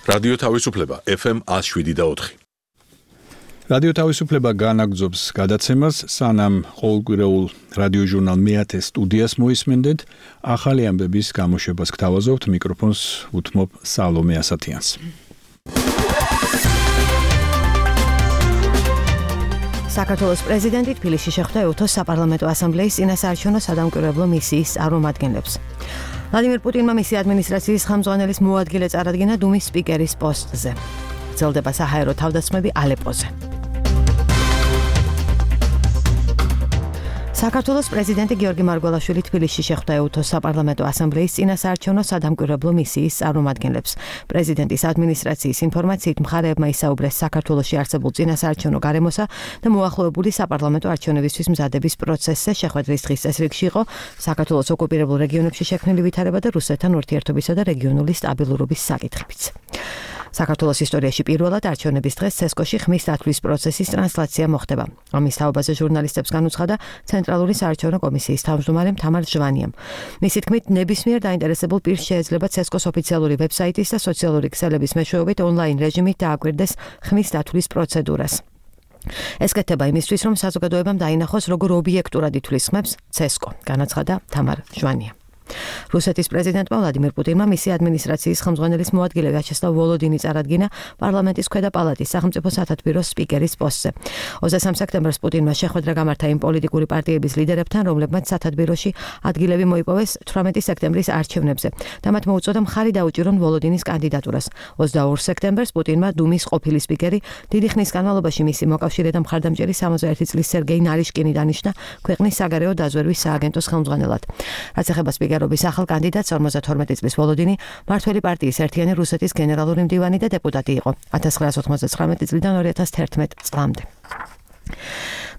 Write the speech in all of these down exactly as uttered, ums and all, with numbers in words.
რადიო თავისუფლება ეფ ემ one oh seven point four. რადიო თავისუფლება განაგრძობს გადაცემას, სანამ ყოველკვირეულ რადიო ჟურნალ მეათე სტუდიას მოისმენდეთ, ახალი ამბების გამოშვებას გთავაზობთ, მიკროფონს უთმობ სალომე ასათიანს. საქართველოს პრეზიდენტი თბილისში შეხვდა ევთოს საპარლამენტო ასამბლეის წინასაარჩევნო სადამკვირვებლო მისიის წარმომადგენლებს. ვლადიმერ პუტინმა მისი ადმინისტრაციის ხელმძღვანელის მოადგილე წარადგინა დუმის სპიკერის პოსტზე. გრძელდება საჰაერო თავდასხმები ალეპოზე. საქართველოს პრეზიდენტი გიორგი მარგველაშვილი თბილისში შეხვდა ევთოს საპარლამენტო ასამბლეის წინასაარჩევნო სადამკვირვებლო მისიის წარმომადგენლებს. პრეზიდენტის ადმინისტრაციის ინფორმაციით მხარეებმა ისაუბრეს საქართველოში არსებულ წინასაარჩევნო გარემოსა და მოახლოებული საპარლამენტო არჩევნებისთვის მზადების პროცესზე. შეხვედრის დღის წესრიგში იყო საქართველოს ოკუპირებულ რეგიონებში შექმნილი ვითარება და რუსეთთან ურთიერთობისა და რეგიონული სტაბილურობის საკითხებიც. საქართველოს ისტორიაში პირველად არჩევნების დღეს ცესკოში ხმის დათვლის პროცესის ტრანსლაცია მოხდება. ამის თაობაზე ჟურნალისტებს განუცხადა ცენტრალური საარჩევნო კომისიის თავმჯდომარე თამარ ჟვანიამ. მისი თქმით, ნებისმიერ დაინტერესებულ პირს შეეძლება ცესკოს ოფიციალური ვებსაიტის და სოციალური ქსელების მეშვეობით ონლაინ რეჟიმით დააკვირდეს ხმის დათვლის პროცედურას. ეს კეთდება იმისთვის, რომ საზოგადოებამ დაინახოს, როგორ ობიექტურად ითვლის ხმებს ცესკო, განაცხადა თამარ ჟვანიამ. რუსეთის პრეზიდენტმა ვლადიმერ პუტინმა მისი ადმინისტრაციის ხელმძღვანელის მოადგილე ვიაჩესლავ ვოლოდინი წარადგინა პარლამენტის ქვედა პალატის სახელმწიფო სათათბიროს სპიკერის პოსტზე. ოცდამესამე სექტემბერს პუტინმა შეხვედრა გამართა იმ პოლიტიკური პარტიების ლიდერებთან, რომლებმაც სათათბიროში ადგილები მოიპოვეს თვრამეტი სექტემბრის არჩევნებზე და მათ მოუწოდა მხარი დაუჭირონ ვოლოდინის კანდიდატურას. ოცდაორ სექტემბერს პუტინმა დუმის ყოფილი სპიკერი დიდი ხნის განმავლობაში მისი მოკავშირე და მხარდამჭერი სამოცდაერთი წლის სერგეი ნარიშკინი დანიშნა ქვეყნის საგარეო დაზვერვის სააგენტოს ხელმძღვანელად. რაც ეხება სპიკერს ობის ახალ კანდიდატს ორმოცდათორმეტი წლის ვოლოდინი მართველი პარტიის ერთიანი რუსეთის გენერალური მდივანი და დეპუტატი იყო ათას ცხრაასი ოცდამოცდათხმეტი წლიდან ორი ათას თერთმეტ წლამდე.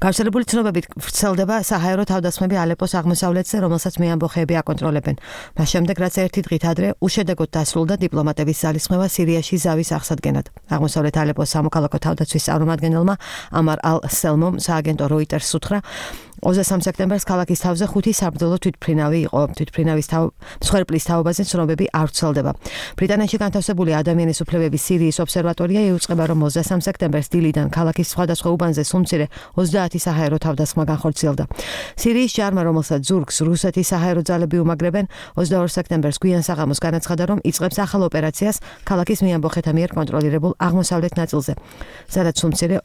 გავრცელებული ცნობებით ვრცელდება საჰაერო თავდასხმები ალეპოს აღმოსავლეთზე, რომელსაც მეამბოხეები აკონტროლებენ. მას შემდეგ, რაც ერთი დღით ადრე უშედეგოდ დასრულდა დიპლომატების ძალისხმევა სირიაში ზავის აღსადგენად. აღმოსავლეთ ალეპოს სამოქალაქო თავდაცვის წარმომადგენელმა ამარ ალ-სელმომ სააგენტო როიტერს უთხრა, ოცდამესამე სექტემბერს ქალაქის თავზე ხუთი საბრძოლო თვითმფრინავი იყო. თვითმფრინავის მსხვერპლის თაობაზე ცნობები არ ვრცელდება. ბრიტანეთში განთავსებული ადამიანის უფლებების სირიის ობსერვატორია იუწყება, რომ ოცდამესამე სექტემბერს დილიდან ქალაქის სხვადასხვა უბანზე სუმცირე ოცდაათი საჰაერო თავდასხმა განხორციელდა. სირიის ჯარმა, რომელსაც ზურგს რუსეთის საჰაერო ძალები უმაგრებენ, ოცდაორ სექტემბერს გვიან საღამოს განაცხადა, რომ იწყებს ახალ ოპერაციას ქალაქის მეამბოხეთა მიერ კონტროლირებულ აღმოსავლეთ ნაწილზე, სადაც სუმცირე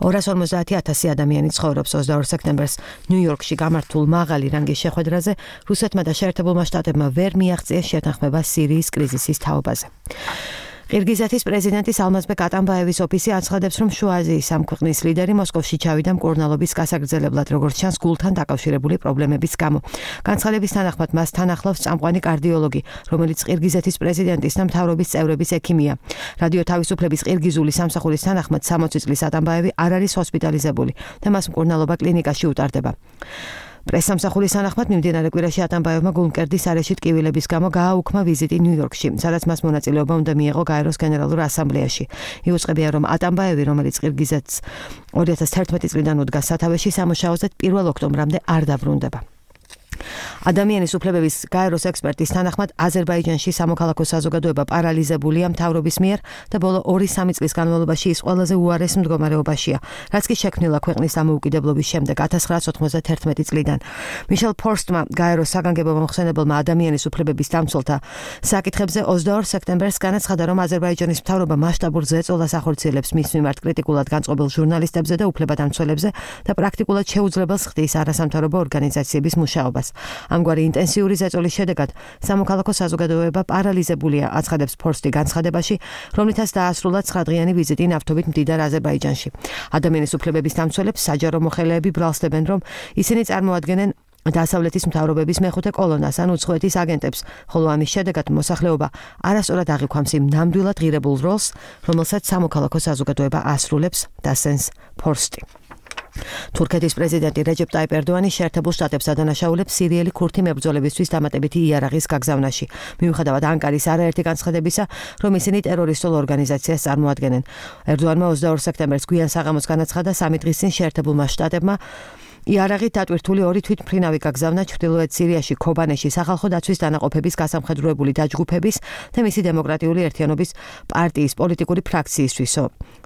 ორას ორმოცდაათი ათასი ადამიანი ცხოვრობს. ოცდაორ სექტემბერს ნიუ-იორკში გამართულ მაღალი რანგის შეხვედრაზე რუსეთმა და შეერთებულმა შტატებმა ვერ მიაღწიეს შეთანხმება სირიის კრიზისის თაობაზე. ყირგიზეთის პრეზიდენტის ალმაზბეკ ატამბაევის ოფისი აცხადებს, რომ შუა აზიის ამ ქვეყნის ლიდერი მოსკოვში ჩავიდა მკურნალობის გასაგრძელებლად, როგორც ჩანს გულთან დაკავშირებული პრობლემების გამო. განცხადების თანახმად მას თან ახლავს წამყვანი კარდიოლოგი, რომელიც ყირგიზეთის პრეზიდენტის და მთავრობის წევრების ექიმია. რადიო თავისუფლების ყირგიზული სამსახურის თანახმად სამოცი წლის ატამბაევი არ არის ჰოსპიტალიზებული და მას მკურნალობა კლინიკაში უტარდება. პრესსამსახურის თანახმად მიმდინარე კვირაში ატამბაევმა გულმკერდის არეში ტკივილების გამო გააუქმა ვიზიტი ნიუ-იორკში, სადაც მას მონაწილეობა უნდა მიეღო გაეროს გენერალურ ასამბლეაში. იუწყებია, რომ ატამბაევი, რომელიც ყირგიზეთს ორი ათას თერთმეტი წლიდან უდგა სათავეში, სამუშაოზე პირველ ოქტომბრამდე არ დაბრუნდება. ადამიანის უფლებების გაეროს ექსპერტის თანახმად აზერბაიჯანში სამოქალაქო საზოგადოება პარალიზებულია მთავრობის მიერ და ბოლო ორი სამი წლის განმავლობაში ის ყველაზე უარეს მდგომარეობაშია, რაც კი შექმნილა ქვეყნის დამოუკიდებლობის შემდეგ ათას ცხრაასი ოცდათერთმეტი წლიდან. მიშელ ფორსტმა გაეროს საგანგებო მომხსენებელმა ადამიანის უფლებების დამცველთა საკითხებზე ოცდაორ სექტემბერს განაცხადა, რომ აზერბაიჯანის მთავრობა მასშტაბურ ზეწოლას ახორციელებს მის მიმართ კრიტიკულად განწყობილ ჟურნალისტებზე და უფლებადამცველებზე და პრაქტიკულად შეუძლებელს ხდის არასამთავრობო ორგანიზაციების მუშაობას. ამგვარი ინტენსიური ზეწოლის შედეგად სამოქალაქო საზოგადოება პარალიზებულია, აცხადებს ფორსტი განცხადებაში, რომლითაც დაასრულა ცხრადღიანი ვიზიტი ნავთობით მდიდარ აზერბაიჯანში. ადამიანის უფლებების დამცველებს საჯარო მოხელეები ბრალსდებენ, რომ ისინი წარმოადგენენ დასავლეთის მთავრობების მეხუთე კოლონას ან უცხოეთის აგენტებს, ხოლო ამის შედეგად მოსახლეობა არასწორად აღიქვამს იმ ნამდვილად ღირებულ როლს, რომელსაც სამოქალაქო საზოგადოება ასრულებს, დასენს ფორსტი. თურქეთის პრეზიდენტი რეჯეპ ტაიპ ერდოანი შეერთებულ შტატებს ადანაშაულებს სირიელი ქურთი მებრძოლებისთვის დამატებითი იარაღის გაგზავნაში. მიუხედავად ანკარის არაერთი განცხადებისა, რომ ისინი ტერორისტულ ორგანიზაციას წარმოადგენენ. ერდოანმა ოცდაორ სექტემბერს გვიან საღამოს განაცხადა სამი დღის წინ შეერთებულმა შტატებმა იარაღით დატვირთული ორი თვითმფრინავი გაგზავნა ჩრდილოეთ სირიაში ქობანეში სახალხო დაცვის დანაყოფების გასამხედროებული დაჯგუფების და მისი დემოკრატიული ერთიანობის პარტიის პოლიტიკური ფრაქციისთვისო.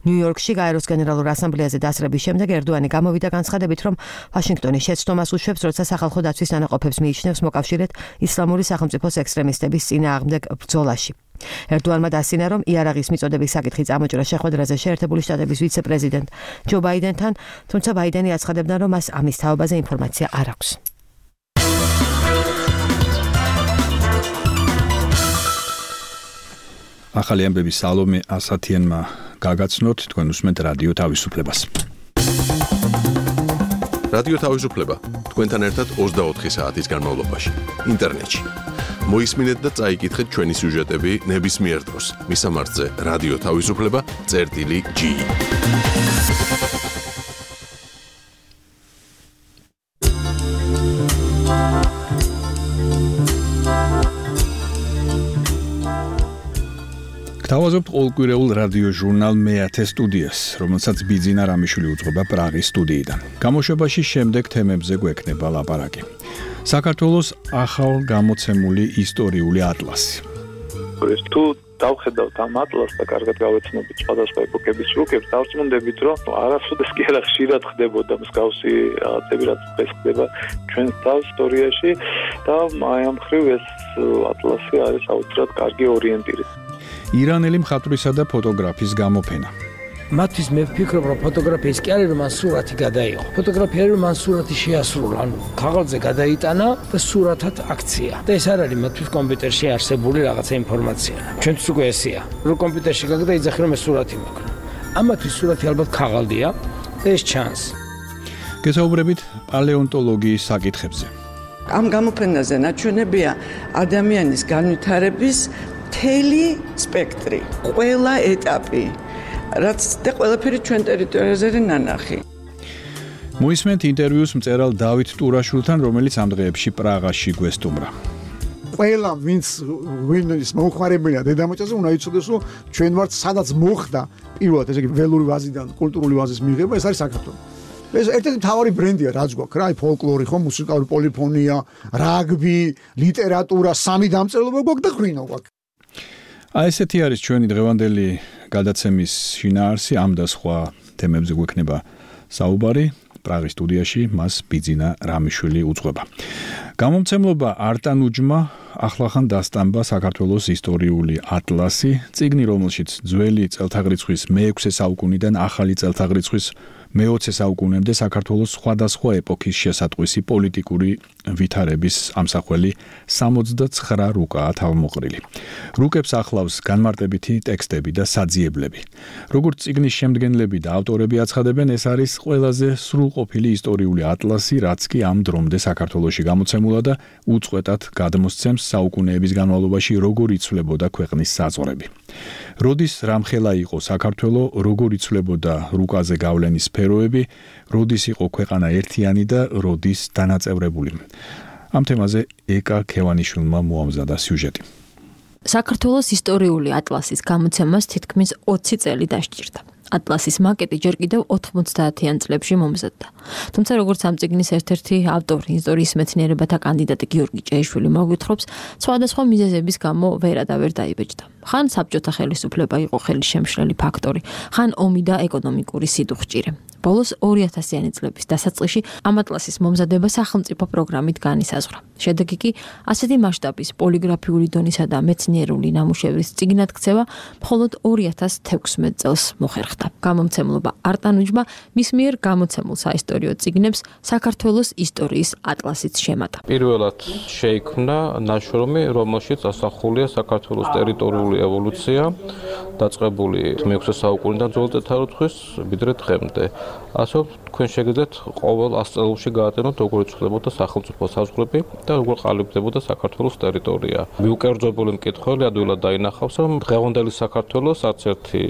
ნიუ-იორკში გაეროს გენერალურ ასამბლეაზე დასრების შემდეგ ერდოანი გამოვიდა განცხადებით, რომ ვაშინგტონი შეცდომას უშვებს, როცა სახალხო დაცვის დანაყოფებს მიიჩნევს მოკავშირედ ისლამური სახელმწიფოს ექსტრემისტების წინააღმდეგ ბრძოლაში. ერდოანმა დასცინა, რომ იარაღის მიწოდების საკითხი წამოჭრა შეხვედრაზე შეერთებული შტატების ვიცე-პრეზიდენტ ჯო ბაიდენთან, თუმცა ბაიდენი აცხადებდა, რომ მას ამის თაობაზე ინფორმაცია არ აქვს. ახალი ამბები სალომე ასათიანმა გაგაცნოთ, თქვენ უსმენთ რადიო თავისუფლებას. რადიო თავისუფლება თქვენთან ერთად ოცდაოთხი საათის განმავლობაში ინტერნეტში. მოისმინეთ და წაიკითხეთ ჩვენი სიუჟეტები ნებისმიერ დროს. მისამართზე რადიო თავისუფლება წერტილი ჯი. გთავაზობთ ყოველკვირეულ რადიო ჟურნალ მეათე სტუდიას, რომელსაც ბიძინა რამიშვილი უძღვება პრაღის სტუდიიდან. გამოშვებაში შემდეგ თემებზე გვექნება ლაპარაკი. საქართველოს ახალ გამოცემული ისტორიული ატლასი. თუ დავხედავთ ამ ატლასს და კარგად გავეცნობით სხვადასხვა ეპოქების რუკებს, დავწმუნდებით, რომ არასოდეს კი არა ხშირად ხდებოდა მსგავსი რაღაცები, რაც დღეს ხდება ჩვენს თავს ისტორიაში და აი ამ მხრივ ეს ატლასი არის აუცილებლად კარგი ორიენტირი. ირანელი მხატვრისა და ფოტოგრაფის გამოფენა. მათთვის მე ვფიქრობ, რომ ფოტოგრაფიის კი არის, რომ მან სურათი გადაიღო. ფოტოგრაფია არის, რომ მან სურათი შეასრულა, ანუ ქაღალდზე გადაიტანა და სურათად აქცია. და ეს არ არის მათთვის კომპიუტერში არსებული რაღაცა ინფორმაცია. ჩვენთვის უკვე ესეა. რო კომპიუტერში გაგდა იძახი, რომ ეს სურათი მაქვს. ამათთვის სურათი ალბათ ქაღალდია და ეს ჩანს. გესაუბრებით პალეონტოლოგიის საკითხებზე. ამ გამოფენაზე ნაჩვენებია ადამიანის განვითარების მთელი სპექტრი, ყველა ეტაპი, რაც და ყველაფერი ჩვენ ტერიტორიაზე ნანახი. მოისმენთ ინტერვიუს მწერალ დავით ტურაშვილთან, რომელიც ამ დღეებში პრაღაში გვესტუმრა. ყველა ვინც ვინც მოხმარებელია დედამიწაზე უნდა იცოდეს, რომ ჩვენ ვართ სადაც მოხდა პირველად ესე იგი ველური ვაზიდან კულტურული ვაზის მიღება, ეს არის საქართველო. ეს ერთ-ერთი მთავარი ბრენდია, რაც გვაქვს, რა, აი ფოლკლორი, ხო, მუსიკალური პოლიფონია, რაგბი, ლიტერატურა, სამი დამწერლობა გვაქვს და ღვინო გვაქვს. აი ესეთი არის ჩვენი დღევანდელი გადაცემის შინაარსი, ამ და სხვა თემებზე გვექნება საუბარი. პრაღის სტუდიაში მას ბიძინა რამიშვილი უძღვება. გამომცემლობა არტანუჯმა ახლახან დასტამბა საქართველოს ისტორიული ატლასი, წიგნი, რომელშიც ძველი წელთაღრიცხვის მეექვსე საუკუნიდან ახალი წელთაღრიცხვის მეოცე საუკუნემდე საქართველოს სხვადასხვა ეპოქის შესატყვისი პოლიტიკური ვითარების ამსახველი სამოცდაცხრა რუკაა თავმოყრილი. რუკებს ახლავს განმარტებითი ტექსტები და საძიებლები. როგორც წიგნის შემდგენლები და ავტორები აცხადებენ, ეს არის ყველაზე სრულყოფილი ისტორიული ატლასი, რაც კი ამ დრომდე საქართველოში გამოცემულა და უწყვეტად გადმოსცემს საუკუნეების განმავლობაში როგორ იცვლებოდა ქვეყნის საზღვრები. როდის რამხელა იყო საქართველო, როგორ იცვლებოდა რუკაზე გავლენის სფეროები, როდის იყო ქვეყანა ერთიანი და როდის დანაწევრებული. ამ თემაზე ეკა ქევანიშვილმა მოამზადა სიუჟეტი. საქართველოს ისტორიული ატლასის გამოცემას თითქმის ოცი წელი დასჭირდა. ატლასის მაკეტი ჯერ კიდევ ოთხმოცდაათიან წლებში მომზადდა. თუმცა როგორც ამ წიგნის ერთ-ერთი ავტორი, ისტორიის მეცნიერებათა კანდიდატი გიორგი ჭეიშვილი მოგვითხრობს, სხვადასხვა მიზეზების გამო ვერა და ვერ დაიბეჭდა. ხან საბჭოთა ხელისუფლება იყო ხელის შემშლელი ფაქტორი, ხან ომი და ეკონომიკური სიდუხჭირე. ბოლოს ორი ათასიანი წლების დასაწყისში ამ ატლასის მომზადება სახელმწიფო პროგრამით განისაზღვრა. შედეგი კი ასეთი მასშტაბის პოლიგრაფიული დონისა და მეცნიერული ნამუშევრის წიგნად ქცევა მხოლოდ ორი ათას თექვსმეტ წელს მოხერხდა. გამომცემლობა არტანუჯმა მის მიერ გამოცემულ საისტორიო წიგნებს საქართველოს ისტორიის ატლასიც შემატა. პირველად შეიქმნა ნაშრომი, რომელშიც ასახულია საქართველოს ტერიტორიული ევოლუცია, დაწყებული მეექვსე საუკუნიდან ძველ წელთაღრიცხვის ვიდრე დღემდე. ასე თქვენ შეგიძლიათ ყოველ ას წელში გაატენოთ, როგორ იცვლებოდა სახელმწიფო საზღვრები და როგორ ყალიბდებოდა საქართველოს ტერიტორია. მიუკერძობილი მკითხველი ადვილად დაინახავს, რომ დღევანდელი საქართველოს არც ერთი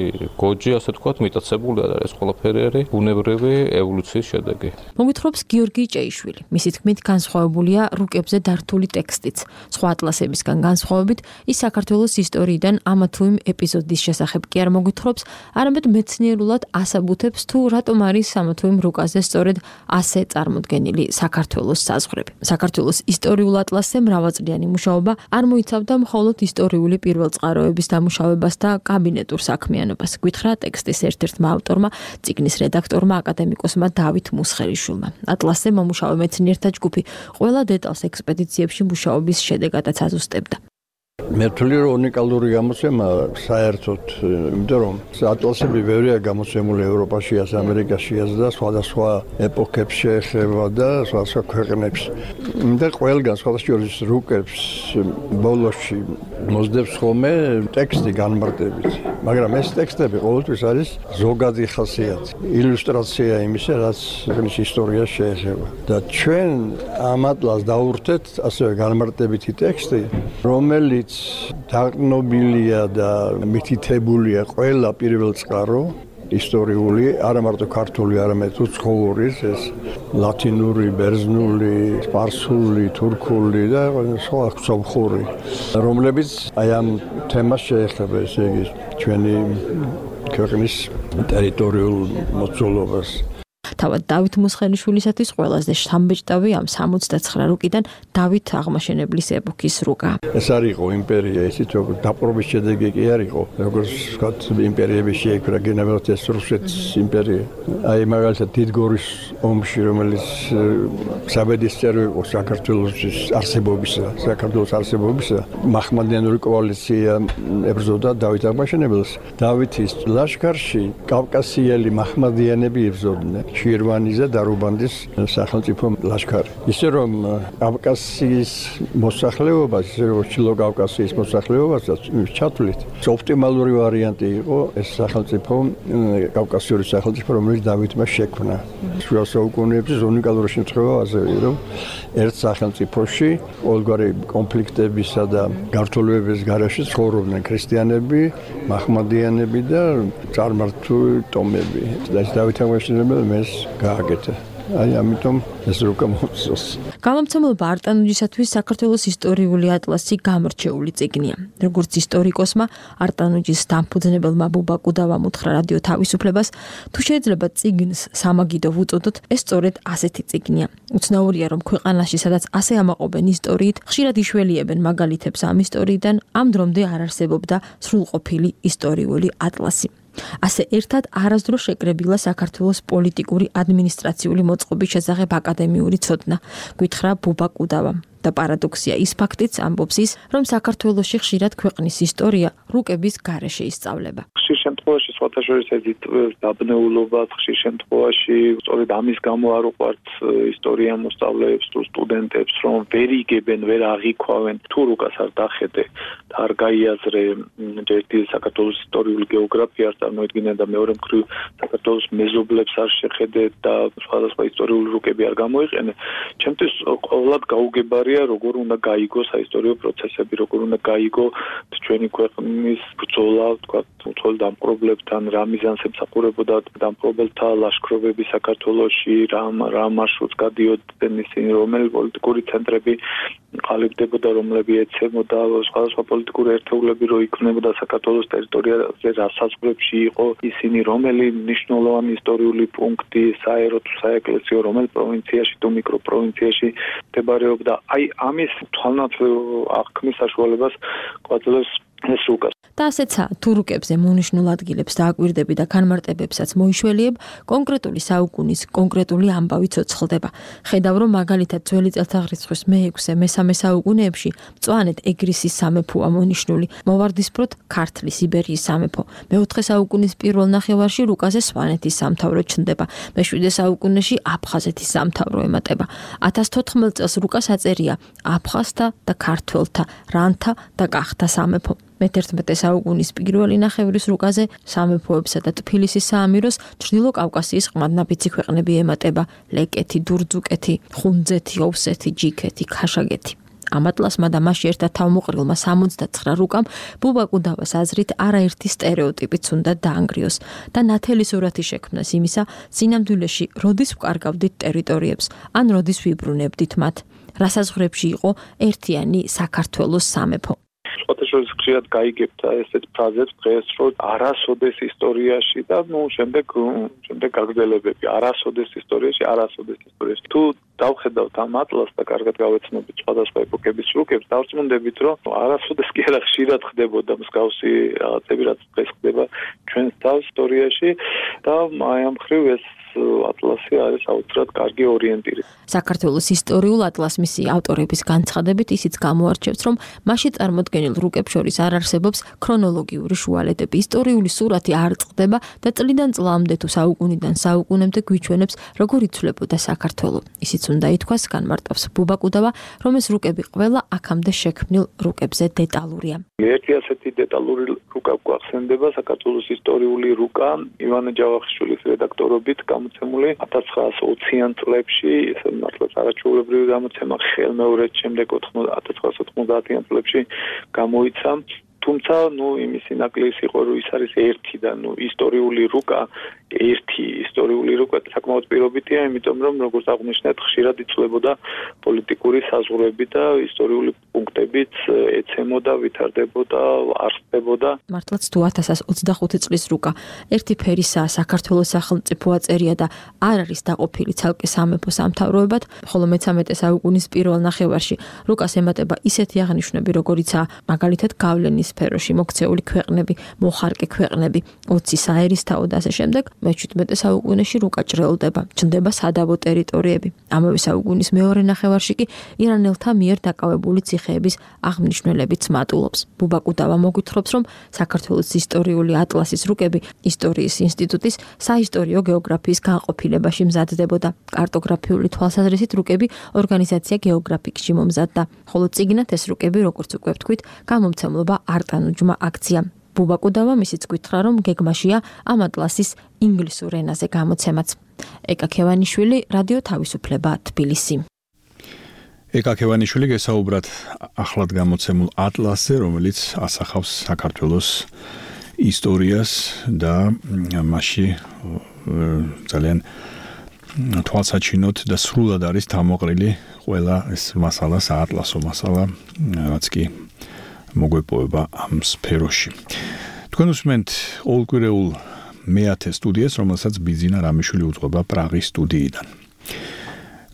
გოჯი, ასე ვთქვათ, მიტაცებული არ არის, ყველაფერი არის ბუნებრივი ევოლუციის შედეგი. მოგვითხრობს გიორგი ჭეიშვილი. მისი თქმით, განსხვავებულია რუკებზე დართული ტექსტიც. სხვა ატლასებისგან განსხვავებით, ის საქართველოს ისტორიიდან ამა თუ იმ ეპიზოდის შესახებ კი არ მოგვითხრობს, არამედ მეცნიერულად ასაბუთებს თუ რატომ არის არის ამა თუ იმ რუკაზე სწორედ ასე წარმოდგენილი საქართველოს საზღვრები. საქართველოს ისტორიულ ატლასზე მრავალწლიანი მუშაობა არ მოიცავდა მხოლოდ ისტორიული პირველწყაროების დამუშავებას და კაბინეტურ საქმიანობას. გითხრა ტექსტის ერთ-ერთმა ავტორმა, წიგნის რედაქტორმა, აკადემიკოსმა დავით მუსხელიშვილმა. ატლასზე მომუშავე მეცნიერთა ჯგუფი ყველა დეტალს ექსპედიციებში მუშაობის შედეგადაც აზუსტებდა. მე ვთვლი რომ უნიკალური გამოცემა საერთოდ, იმიტომ რომ ატლასები ბევრია გამოცემული ევროპაში, ამერიკაში და სხვადასხვა ეპოქებს შეეხება და სხვადასხვა ქვეყნებს. და ყველგან სხვადასხვა რუკებს ბოლოში მოსდევს ხოლმე ტექსტი განმარტებით. მაგრამ ეს ტექსტები ყოველთვის არის ზოგადი ხასიათი, ილუსტრაცია იმისა, რაც ქვეყნის ისტორიას შეეხება. და ჩვენ ამ ატლასს დავურთეთ ასევე განმარტებითი ტექსტი, რომელიც დაღნობილია და მითითებულია ყველა პირველწყარო ისტორიული, არა მარტო ქართული, არამედ უცხოური, ეს ლათინური, ბერძნული, სპარსული, თურქული და სხვა სომხური, რომლებიც აი ამ თემას შეეხება, ესე იგი ჩვენი ქვეყნის ტერიტორიულ მოწყობილობას. თავად დავით მუსხელიშვილისათვის ყველაზე სამბეჭდავი ამ სამოცდაცხრა რუკიდან დავით აღმაშენებლის ეპოქის რუკა. ეს არ იყო იმპერია, ისიც როგორც დაპყრობის შედეგი კი არ იყო, როგორც ვთქვათ, იმპერიები შეიქმნა, გენერალიტეტის რუსეთის იმპერია. აი მაგალითად დიდგორის ომში, რომელიც საბედისწერო იყო საქართველოს არსებობისა, საქართველოს არსებობისა, მაჰმადიანური კოალიცია ებრძოდა დავით აღმაშენებელს. დავითის ლაშქარში კავკასიელი მაჰმადიანები იბრძოდნენ. შირვანის და დარუბანდის სახელმწიფო ლაშქარი. ისე რომ კავკასიის მოსახლეობას, ისე რომ ჩილო კავკასიის მოსახლეობასაც ჩათვლით, ოპტიმალური ვარიანტი იყო ეს სახელმწიფო, კავკასიური სახელმწიფო, რომელიც დავითმა შექმნა. შუა საუკუნეებში უნიკალური შემთხვევა ასევე, რომ ერთ სახელმწიფოში ყოველგვარი კონფლიქტებისა და გართულებების გარეშე ცხოვრობდნენ ქრისტიანები, მაჰმადიანები და წარმართული ტომები. და ეს დავით აღმაშენებელი ეს გააკეთა. აი ამიტომ ეს რუკა მოწოს. გამომცემლობა არტანუჯისათვის საქართველოს ისტორიული ატლასი გამორჩეული წიგნია. როგორც ისტორიკოსმა არტანუჯის დამფუძნებელმა ბუბა კუდავამ უთხრა რადიო თავისუფლებას, თუ შეიძლება წიგნს სამაგიდო ვუწოდოთ, ეს სწორედ ასეთი წიგნია. უცნაურია, რომ ქვეყანაში, სადაც ასე ამაყობენ ისტორიით, ხშირად იშველიებენ მაგალითებს ამ ისტორიიდან, ამ დრომდე არ არსებობდა სრულყოფილი ისტორიული ატლასი. ასე ერთად არასდროს შეკრებილა საქართველოს პოლიტიკური ადმინისტრაციული მოწყობის შესახებ აკადემიური ცოდნა, გითხრა ბუბა კუდავამ. და პარადოქსია ის ფაქტიც ამბობს ის, რომ საქართველოში ხშირად ქვეყნის ისტორია რუკების გარეშე ისწავლება. ხშირ შემთხვევაში სხვათა შორის ედით დაბნეულობად, ხშირ შემთხვევაში სწორედ ამის გამო არ უყვართ ისტორია მოსწავლეებს თუ სტუდენტებს, რომ ვერ იგებენ, ვერ აღიქვავენ, თუ რუკას არ დახედე და არ გაიაზრე ერთი საქართველოს ისტორიული გეოგრაფია არ წარმოედგინე და მეორე მხრივ საქართველოს მეზობლებს არ შეხედე და სხვადასხვა ისტორიული რუკები არ გამოიყენე, ჩემთვის ყოველად გაუგებარია როგორ უნდა გაიგო საისტორიო პროცესები, როგორ უნდა გაიგო ჩვენი ქვეყნის ბრძოლა, თქვა, თულ დამპყრობლებთან, რა მიზანს ემსახურებოდა დამპყრობელთა ლაშქრობები საქართველოში, რა რა მარშრუტს გადიოდნენ ისინი, რომელი პოლიტიკური ცენტრები ყალიბდებოდა, რომლები ეცემოდა, სხვადასხვა პოლიტიკური ერთეულები რო იქმნებოდა საქართველოს ტერიტორიაზე, რა საზღვრებში იყო ისინი, რომელი მნიშვნელოვანი ისტორიული პუნქტი, საერო თუ საეკლესიო, რომელ პროვინციაში თუ მიკროპროვინციაში მდებარეობდა. აი ამის თვალნათლივ აღქმის საშუალებას გვაძლევს ეს რუკა. და ასეცა თუ რუკებზე მონიშნულ ადგილებს დააკვირდები და განმარტებებსაც მოიშველიებ, კონკრეტული საუკუნის კონკრეტული ამბავი ცოცხლდება. ხედავ, რომ მაგალითად ძველი წელთაღრიცხვის მეექვსე მესამე საუკუნეებში მწვანედ ეგრისის სამეფოა მონიშნული, მოვარდისფროთ ქართლის იბერიის სამეფო. მეოთხე საუკუნის პირველ ნახევარში რუკაზე სვანეთის სამთავრო ჩნდება. მეშვიდე საუკუნეში აფხაზეთის სამთავრო ემატება. ათას თოთხმეტ წელს რუკას აწერია აფხაზთა და ქართველთა, რანთა და კახთა სამეფო. მეთერთმეტე საუკუნის პირველი ნახევრის რუკაზე სამეფოებსა და ტფილისის საამიროს ჩრდილო კავკასიის ყმადნაფიცი ქვეყნები ემატება: ლეკეთი, დურძუკეთი, ხუნძეთი, ოვსეთი, ჯიქეთი, ქაშაგეთი. ამ ატლასმა და მასში ერთად თავმოყრილმა სამოცდაცხრა რუკამ ბუბა კუდავას აზრით არაერთი სტერეოტიპიც უნდა დაანგრიოს და ნათელი სურათი შექმნას იმისა, სინამდვილეში როდის ვკარგავდით ტერიტორიებს, ან როდის ვიბრუნებდით მათ, რა საზღვრებში იყო ერთიანი საქართველოს სამეფო. სხვათა შორის ხშირად გაიგებთ ესეთ ფრაზებს დღეს, რომ არასოდეს ისტორიაში და ნუ შემდეგ შემდეგ გაგრძელებები არასოდეს ისტორიაში, არასოდეს ისტორიაში. თუ დავხედავთ ამ ატლასს და კარგად გავეცნობით სხვადასხვა ეპოქების რუკებს, დავწმუნდებით, რომ არასოდეს კი არა ხშირად ხდებოდა მსგავსი რაღაცები, რაც დღეს ხდება ჩვენს თავს ისტორიაში და აი ამ მხრივ ეს ატლასი არის აუცილებლად კარგი ორიენტირი. საქართველოს ისტორიულ ატლასს მისი ავტორების განცხადებით ისიც გამოარჩევს, რომ მასში წარმოდგენილ რუკებს შორის არ არსებობს ქრონოლოგიური შუალედები. ისტორიული სურათი არ წყდება და წლიდან წლამდე თუ საუკუნიდან საუკუნემდე გვიჩვენებს, როგორ იცვლებოდა საქართველო. ისიც უნდა ითქვას, განმარტავს ბუბა კუდავა, რომ ეს რუკები ყველა აქამდე შექმნილ რუკებზე დეტალურია. ერთი ასეთი დეტალური რუკა გვახსენდება საქართველოს ისტორიული რუკა ივანე ჯავახიშვილის რედაქტორობით გამოცემული ათას ცხრაასი ოციან წლებში, ესე მართლაც არაჩვეულებრივი გამოცემა ხელმეორედ შემდეგ ათას ცხრაასი ოთხმოცდაათიან წლებში გამოიცა. თუმცა, ნუ იმისი ნაკლისი იყო, რომ ის არის ერთი და ნუ ისტორიული რუკა, ერთი ისტორიული რუკა საკმაოდ პირობიტია, იმიტომ რომ როგორც აღნიშნეთ, ხშირად იცვლებოდა პოლიტიკური საზღვრები და ისტორიული პუნქტებიც ეცემოდა, ვითარდებოდა, არსებობდა. მართლაც თუ ათას ოცდახუთი წლის რუკა ერთი ფერისაა, საქართველოს სახელმწიფო აწერია და არ არის დაყოფილი ცალკე სამეფო სამთავროებად, ხოლო მეცამეტე საუკუნის პირველ ნახევარში რუკას ემატება ისეთი აღნიშვნები, როგორიცაა მაგალითად გავლენის სფეროში მოქცეული ქვეყნები, მოხარკე ქვეყნები, ოცი საერისთავო და ასე შემდეგ. მეჩვიდმეტე საუკუნეში რუკა ჭრელდება, ჩნდება სადავო ტერიტორიები. ამავე საუკუნის მეორე ნახევარში კი ირანელთა მიერ დაკავებული ციხეების აღმნიშვნელებიც მატულობს. ბუბა კუდავა მოგვითხრობს, რომ საქართველოს ისტორიული ატლასის რუკები ისტორიის ინსტიტუტის საისტორიო გეოგრაფიის განყოფილებაში მზადდებოდა. კარტოგრაფიული თვალსაზრისით რუკები ორგანიზაცია გეოგრაფიკში მომზადდა, ხოლო წიგნად ეს რუკები, როგორც უკვე ვთქვით, გამომცემლობა არტანუჯმა აქცია. ბუბა კუდავა მისიც გითხრა, რომ გეგმაშია ამ ატლასის ინგლისურ ენაზე გამოცემაც. ეკა ქევანიშვილი, რადიო თავისუფლება, თბილისი. ეკა ქევანიშვილი გესაუბრათ ახლად გამოცემულ ატლასზე, რომელიც ასახავს საქართველოს ისტორიას და მასში ძალიან თვალსაჩინოდ და სრულად არის თამოყრილი ყველა ეს მასალა, საატლასო მასალა, რაც კი მოგვეპოვება ამ სფეროში. თქვენ უსმენთ ორკვირეულ მეათე სტუდიას, რომელსაც ბიძინა რამიშვილი უძღვება პრაღის სტუდიიდან.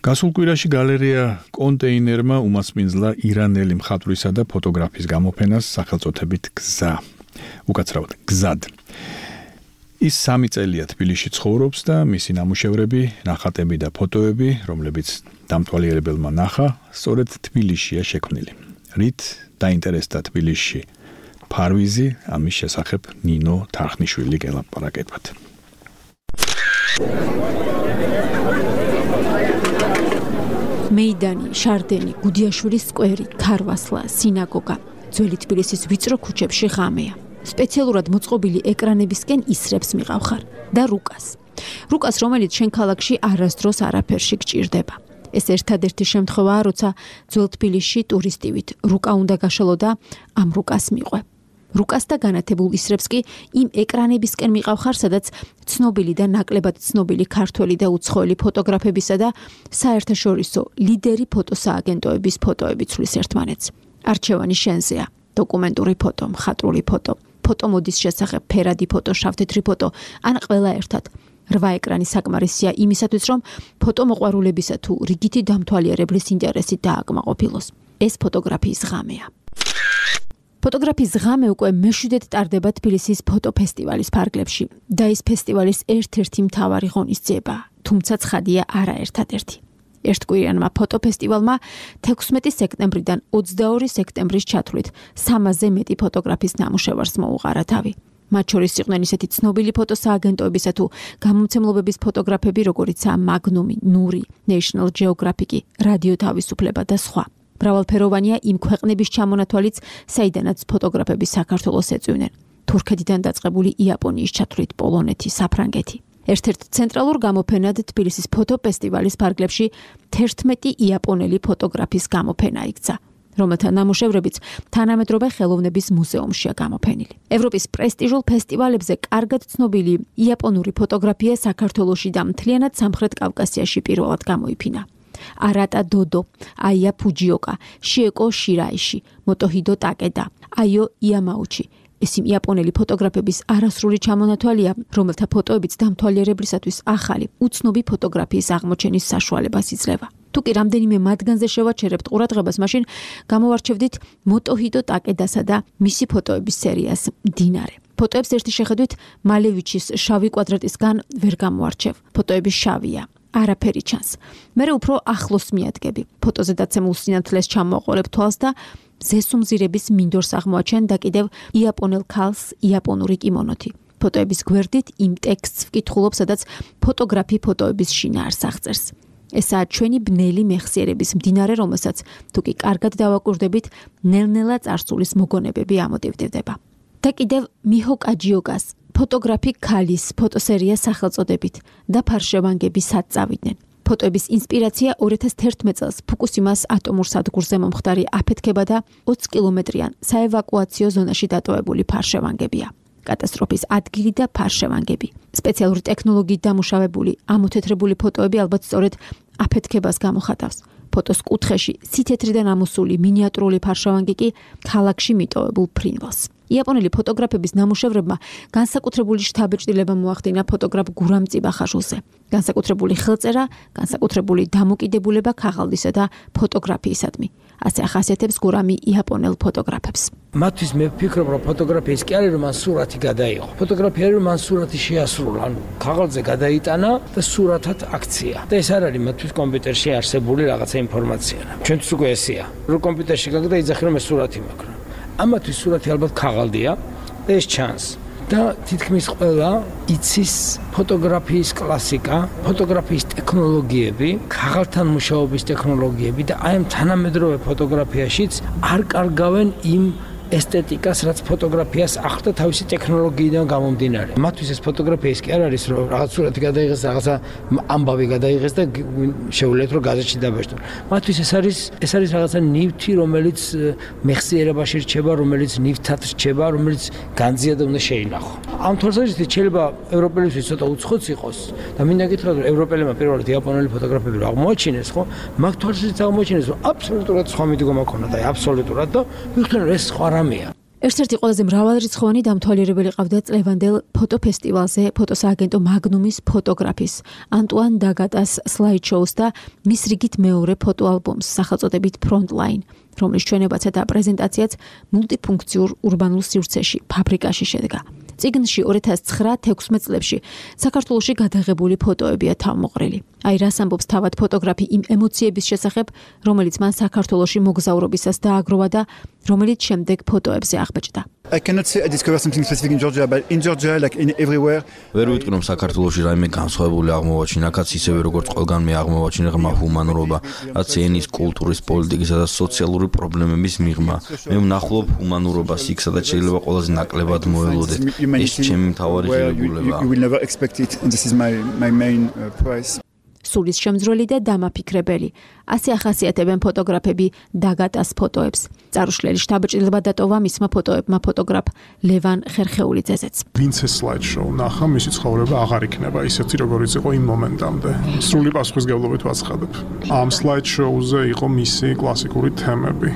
გასულ კვირაში გალერეა კონტეინერმა უმასპინძლა ირანელი მხატვრისა და ფოტოგრაფის გამოფენას სახელწოდებით გზა. უკაცრავად გზად. ის სამი წელია თბილისში ცხოვრობს და მისი ნამუშევრები, ნახატები და ფოტოები, რომლებიც დამთვალიერებელმა ნახა, სწორედ თბილისშია შექმნილი. რით დაინტერესდა თბილისში ფარვიზი, ამის შესახებ ნინო თარხნიშვილი გელაპარაკებათ. მეიდანი, შარდენი, გუდიაშვილის სკვერი, ქარვასლა, სინაგოგა, ძველი თბილისის ვიწრო ქუჩებში ღამეა. სპეციალურად მოწყობილი ეკრანებისკენ ისრებს მიყავხარ და რუკას. რუკას, რომელიც შენ ქალაქში არასდროს არაფერში გჭირდება. ეს ერთადერთი შემთხვევაა, როცა ძველ თბილისში ტურისტივით რუკა უნდა გაშალო და ამ რუკას მიყვე. რუკას და განათებულ ისრებს კი იმ ეკრანებისკენ მიყავხარ, სადაც ცნობილი და ნაკლებად ცნობილი ქართველი და უცხოელი ფოტოგრაფებისა და საერთაშორისო ლიდერი ფოტოსააგენტოების ფოტოები ცვლის ერთმანეთს. არჩევანი შენზეა. დოკუმენტური ფოტო, მხატვრული ფოტო, ფოტომოდის შესახებ ფერადი ფოტო, შავთეთრი ფოტო, ან ყველა ერთად. რვა ეკრანი საკმარისია იმისათვის, რომ ფოტომოყვარულებისა თუ რიგითი დამთვალიერებლის ინტერესი დააკმაყოფილოს. ეს ფოტოგრაფიის ღამეა. ფოტოგრაფიის ღამე უკვე მეშვიდედ ტარდება თბილისის ფოტოფესტივალის ფარგლებში და ის ფესტივალის ერთ-ერთი მთავარი ღონისძიება, თუმცა ცხადია არა ერთადერთი. ერთკვირიანმა ფოტოფესტივალმა თექვსმეტი სექტემბრიდან ოცდაორი სექტემბრის ჩათვლით სამასზე მეტი ფოტოგრაფის ნამუშევარს მოუყარა თავი. მათ შორის იყვნენ ისეთი ცნობილი ფოტოსააგენტოებისა თუ გამომცემლობების ფოტოგრაფები, როგორიცაა მაგნუმი, ნური, National Geographic, რადიო თავისუფლება და სხვა. მრავალფეროვანია იმ ქვეყნების ჩამონათვალიც, საიდანაც ფოტოგრაფები საქართველოს ეწვივნენ. თურქეთიდან დაწყებული იაპონიის ჩათვლით პოლონეთი, საფრანგეთი. ერთ-ერთ ცენტრალურ გამოფენად თბილისის ფოტოფესტივალის ფარგლებში თერთმეტი იაპონელი ფოტოგრაფის გამოფენა იქცა, რომელთა ნამუშევრებიც თანამედროვე ხელოვნების მუზეუმშია გამოფენილი. ევროპის პრესტიჟულ ფესტივალებზე კარგად ცნობილი იაპონური ფოტოგრაფია საქართველოში და მთლიანად სამხრეთ კავკასიაში პირველად გამოიფინა. არატა დოდო, აია ფუჯიოკა, შიეკო შირაიში, მოტოჰიდო ტაკედა, აიო იამაუჩი. ეს იმ იაპონელი ფოტოგრაფების არასრული ჩამონათვალია, რომელთა ფოტოებიც დამთვალიერებლისათვის ახალი, უცნობი ფოტოგრაფიის აღმოჩენის საშუალებას იძლევა. თუ კი რამდენიმე მათგანზე შევაჩერებთ ყურადღებას, მაშინ გამოვარჩევდით მოტოჰიდო ტაკედასა და მისი ფოტოების სერიას მდინარე. ფოტოებს ერთი შეხედვით მალევიჩის შავი კვადრატისგან ვერ გამოვარჩევ. ფოტოები შავია. არაფერი ჩანს. მე უფრო ახლოს მიადგები. ფოტოზე დაცემულ სინათლეს ჩამოყოლებ თვალს და ზესუმზირების მინდორს აღმოაჩენ და კიდევ იაპონელ ქალს იაპონური კიმონოთი. ფოტოების გვერდით იმ ტექსტს ვკითხულობ, სადაც ფოტოგრაფი ფოტოების შინაარს აღწერს. ესაა ჩვენი ბნელი მეხსიერების მდინარე, რომელსაც თუ კი კარგად დავაკვირდებით, ნელ-ნელა წარსულის მოგონებები ამოდევდება. და კიდევ მიჰო კაჯიოგას ფოტოგრაფი ქალის ფოტოსერია სახელწოდებით და ფარშევანგები სად წავიდნენ. ფოტოების ინსპირაცია ორი ათას თერთმეტ წელს ფუკუსიმას ატომურ სადგურზე მომხდარი აფეთქება და ოცი კილომეტრიან საევაკუაციო ზონაში დატოვებული ფარშევანგებია. კატასტროფის ადგილი და ფარშევანგები. სპეციალური ტექნოლოგიით დამუშავებული, ამოთეთრებული ფოტოები ალბათ სწორედ აფეთქებას გამოხატავს. ფოტოს კუთხეში სითეთრიდან ამოსული მინიატურული ფარშევანგი კი ქალაქში მიტოვებულ ფრინველს. იაპონელი ფოტოგრაფების ნამუშევრებმა განსაკუთრებული შთაბეჭდილება მოახდინა ფოტოგრაფ გურამ წიბახაშვილზე. განსაკუთრებული ხელწერა, განსაკუთრებული დამოკიდებულება ქაღალდისა და ფოტოგრაფიისადმი. ასე ახასიათებს გურამი იაპონელ ფოტოგრაფებს. მათთვის მე ვფიქრობ, რომ ფოტოგრაფია ის კი არის, რომ მან სურათი გადაიღო. ფოტოგრაფია არის, რომ მან სურათი შეასრულა, ანუ ქაღალდზე გადაიტანა და სურათად აქცია. და ეს არ არის მათთვის კომპიუტერში არსებული რაღაცა ინფორმაცია. ჩვენთვის უკვე ესეა. რომ კომპიუტერში გაგდა იძახი, რომ ეს სურათი მაქვს. ამათთვის სურათი ალბათ ქაღალდია და ეს ჩანს. და თითქმის ყველა იცის ფოტოგრაფიის კლასიკა, ფოტოგრაფიის ტექნოლოგიები, ქაღალდთან მუშაობის ტექნოლოგიები და აი ამ თანამედროვე ფოტოგრაფიაშიც არ კარგავენ იმ ესთეტიკას, რაც ფოტოგრაფიას ახდდა თავისი ტექნოლოგიიდან გამომდინარე. მათთვის ეს ფოტოგრაფია ის კი არ არის, რომ რაღაც სურათი გადაიღეს, რაღაცა ამბავი გადაიღეს და შეუძლიათ რომ გაზეთში დაბეჭდონ. მათთვის ეს არის ეს არის რაღაცა ნივთი, რომელიც მეხსიერებაში რჩება, რომელიც ნივთად რჩება, რომელიც განძია და უნდა შეინახო. ამ თვალსაზრისით შეიძლება ევროპელებისთვის ცოტა უცხოც იყოს და მინდა გითხრათ, რომ ევროპელებმა პირველად იაპონელი ფოტოგრაფები რო აღმოაჩინეს, ხო? მაგ თვალსაზრისით აღმოაჩინეს, რომ აბსოლუტურად სხვა მიდგომა ჰქონდა და აბსოლუტურად და ვიხდნენ, რომ ეს სხვა ერთ-ერთი ყველაზე მრავალრიცხოვანი დამთვალიერებელი ყავდა წლევანდელ ფოტოფესტივალზე ფოტოსააგენტო მაგნუმის ფოტოგრაფის ანტუან დაგატას სლაიდ-შოუს და მის რიგით მეორე ფოტოალბომს სახელწოდებით Frontline, რომლის ჩვენებაცა და პრეზენტაციაც მულტიფუნქციურ ურბანულ სივრცეში, ფაბრიკაში შედგა. წიგნში ორი ათას ცხრა თექვსმეტ წლებში საქართველოში გადაღებული ფოტოებია თავმოყრილი. აი რას ამბობს თავად ფოტოგრაფი იმ ემოციების შესახებ, რომელიც მან საქართველოში მოგზაურობისას დააგროვა და რომელიც შემდეგ ფოტოებზე აღბეჭდა. I cannot say I discovered something specific in Georgia, but in Georgia, like in everywhere. ვერ ვიტყვი რომ საქართველოში რაიმე განსხვავებული აღმოვაჩინა, აქაც ისევე როგორც ყველგან მე აღმოვაჩინე ღრმა ჰუმანურობა, რაც ენის, კულტურის, პოლიტიკისა და სოციალური პრობლემების მიღმა. მე ვნახულობ ჰუმანურობას იქ, სადაც შეიძლება ყველაზე ნაკლებად მოელოდეთ. ეს ჩემი მთავარი ღირებულება. You will never expect it, and this is my my main uh, prize. სულის შემძვრელი და დამაფიქრებელი. ასე ახასიათებენ ფოტოგრაფები დაგატას ფოტოებს. წარუშლელი შთაბეჭდილება დატოვა მისმა ფოტოებმა ფოტოგრაფ ლევან ხერხეულიძეზეც. ვინც ეს სლაიდ-შოუ ნახა, მისი ცხოვრება აღარ იქნება ისეთი, როგორიც იყო იმ მომენტამდე. სრული პასუხისმგებლობით ვაცხადებ. ამ სლაიდ-შოუზე იყო მისი კლასიკური თემები.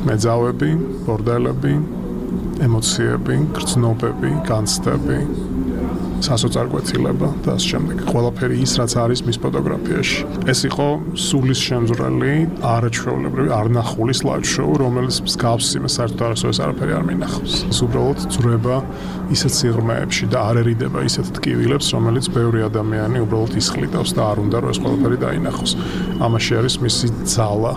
მეძავები, ბორდელები, ემოციები, გრძნობები, განცდები. სასოწარკვეთილება და ამ შემდეგ ყველაფერი ის რაც არის მის ფოტოგრაფიაში. ეს იყო სულის შემძვრელი, არაჩვეულებრივი, არნახული სლაიდ-შოუ, რომელიც მსგავს იმას საერთოდ არასოდეს არაფერი არ მინახავს. ის უბრალოდ ძრება ისეთ სიღრმეებში და არ ერიდება ისეთ ტკივილებს, რომელიც ბევრი ადამიანი უბრალოდ ისხლიდავს და არ უნდა რომ ეს ყველაფერი დაინახოს. ამაში არის მისი ძალა.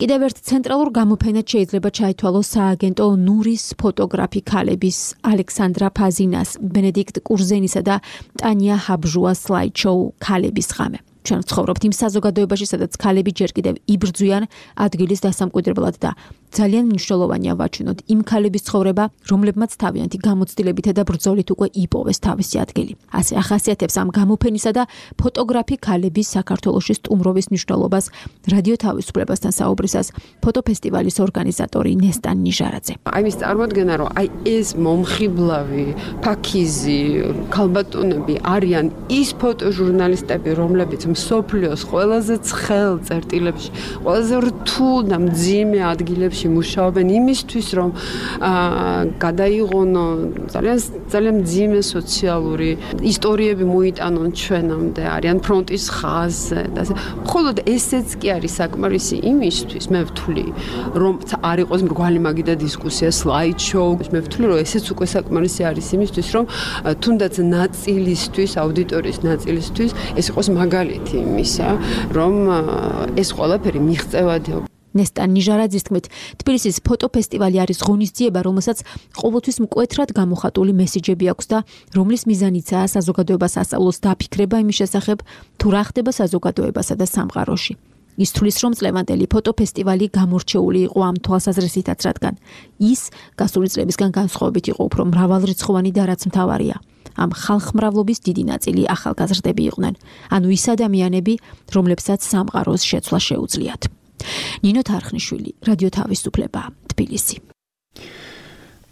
კიდევ ერთ ცენტრალურ გამოფენად შეიძლება ჩაითვალოს სააგენტო ნურის ფოტოგრაფი ქალების ალექსანდრა ფაზინას, ბენედიქტ კურზენისა და ტანია ჰაბჟუას სლაიდ-შოუ ქალების ღამე. ჩვენ ცხოვრობთ იმ საზოგადოებაში, სადაც ქალები ჯერ კიდევ იბრძვიან ადგილის დასამკვიდრებლად და ძალიან მნიშვნელოვანია ვაჩვენოთ იმ ქალების ცხოვრება, რომლებმაც თავიანთი გამოცდილებითა და ბრძოლით უკვე იპოვეს თავისი ადგილი. ასე ახასიათებს ამ გამოფენისა და ფოტოგრაფი ქალების საქართველოში სტუმრობის მნიშვნელობას რადიო თავისუფლებასთან საუბრისას ფოტოფესტივალის ორგანიზატორი ნესტან ნიჟარაძე. აი ის წარმოადგენა, რომ აი ეს მომხიბლავი, ფაქიზი, ქალბატონები არიან ის ფოტოჟურნალისტები, რომლებიც მსოფლიოს ყველაზე ცხელ წერტილებში, ყველაზე რთულ და მძიმე ადგილებში მუშაობენ იმისთვის, რომ გადაიღონო ძალიან ძალიან მძიმე სოციალური ისტორიები მოიტანონ ჩვენამდე, არიან ფრონტის ხაზზე და ასე. მხოლოდ ესეც კი არის საკმარისი იმისთვის, მე ვთვლი, რომ არ იყოს მრგვალი მაგიდა დისკუსია, slide show, მე ვთვლი, რომ ესეც უკვე საკმარისი არის იმისთვის, რომ თუნდაც ნაწილისთვის, აუდიტორიის ნაწილისთვის ეს იყოს მაგალითი იმისა, რომ ეს ყველაფერი მიღწევადია. ნესტან ნიჟარაძის თქმით, თბილისის ფოტოფესტივალი არის ღონისძიება, რომელსაც ყოველთვის მკვეთრად გამოხატული მესიჯები აქვს და რომლის მიზანიცაა საზოგადოებას ასწავლოს დაფიქრება იმის შესახებ, თუ რა ხდება საზოგადოებასა და სამყაროში. ის თვლის, რომ წლევანდელი ფოტოფესტივალი გამორჩეული იყო ამ თვალსაზრისითაც, რადგან ის გასული წლებისგან განსხვავებით იყო უფრო მრავალრიცხოვანი და რაც მთავარია. ამ ხალხმრავლობის დიდი ნაწილი ახალგაზრდები იყვნენ, ანუ ის ადამიანები, რომლებსაც სამყაროს შეცვლა შეუძლიათ. ნინო თარხნიშვილი, რადიო თავისუფლება, თბილისი.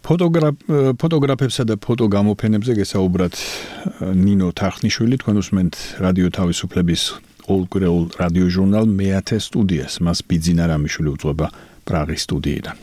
ფოტოგრაფ ფოტოგრაფებსა და ფოტოგამოფენებზე გესაუბრათ ნინო თარხნიშვილი, თქვენ უსმენთ რადიო თავისუფლების ყოველკვირეულ რადიო ჟურნალ მეათე სტუდიას, მას ბიძინა რამიშვილი უძღვება პრაღის სტუდიიდან.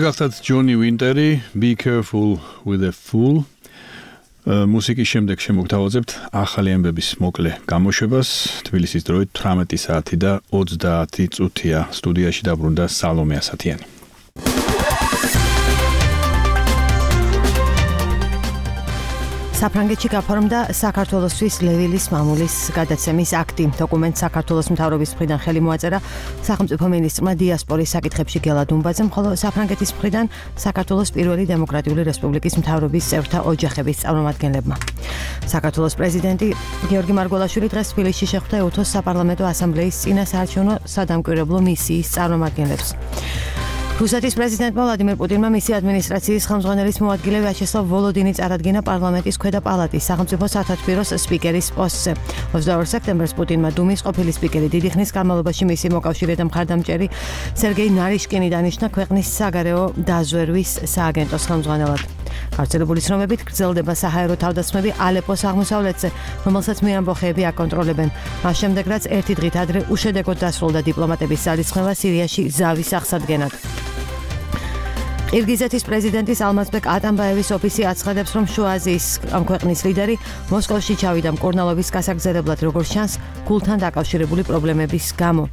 გახსოვთ ჯონი ვინტერი, Be Careful with a Fool. მუსიკის შემდეგ შემოგთავაზებთ ახალი ამბების მოკლე გამოშვებას. თბილისის დროით თვრამეტი საათი და ოცდაათი წუთია. სტუდიაში დაბრუნდა სალომე ასათიანი. საფრანგეთში გაფორმდა საქართველოსთვის ლევილის მამულის გადაცემის აქტი. დოკუმენტს საქართველოს მთავრობის მხრიდან ხელი მოაწერა სახელმწიფო მინისტრმა დიასპორის საკითხებში გელა დუმბაძემ, ხოლო საფრანგეთის მხრიდან საქართველოს პირველი დემოკრატიული რესპუბლიკის მთავრობის წევრთა ოჯახების წარმომადგენლებმა. საქართველოს პრეზიდენტი გიორგი მარგველაშვილი დღეს თბილისში შეხვდა ეუთოს საპარლამენტო ასამბლეის წინასაარჩევნო სადამკვირვებლო მისიის წარმომადგენლებს. რუსეთის პრეზიდენტმა ვლადიმერ პუტინმა მისი ადმინისტრაციის ხელმძღვანელის მოადგილე ვიაჩესლავ ვოლოდინი წარადგინა პარლამენტის ქვედა პალატის სახელმწიფო სათათბიროს სპიკერის პოსტზე. ოცდაორ სექტემბერს პუტინმა დუმის ყოფილი სპიკერი დიდი ხნის განმავლობაში მისი მოკავშირე და მხარდამჭერი სერგეი ნარიშკინი დანიშნა ქვეყნის საგარეო დაზვერვის სააგენტოს ხელმძღვანელად. გავრცელებული ცნობებით გრძელდება საჰაერო თავდასხმები ალეპოს აღმოსავლეთზე, რომელსაც მეამბოხეები აკონტროლებენ. მას შემდეგ რაც ერთი დღით ადრე უშედეგოდ დასრულდა დიპლომატების ძალისხმევა სირიაში ზავის აღსადგენად. ყირგიზეთის პრეზიდენტის ალმაზბეკ ატამბაევის ოფისი აცხადებს, რომ შუა აზიის ამ ქვეყნის ლიდერი მოსკოვში ჩავიდა მკურნალობის გასაგრძელებლად, როგორც ჩანს, გულთან დაკავშირებული პრობლემების გამო.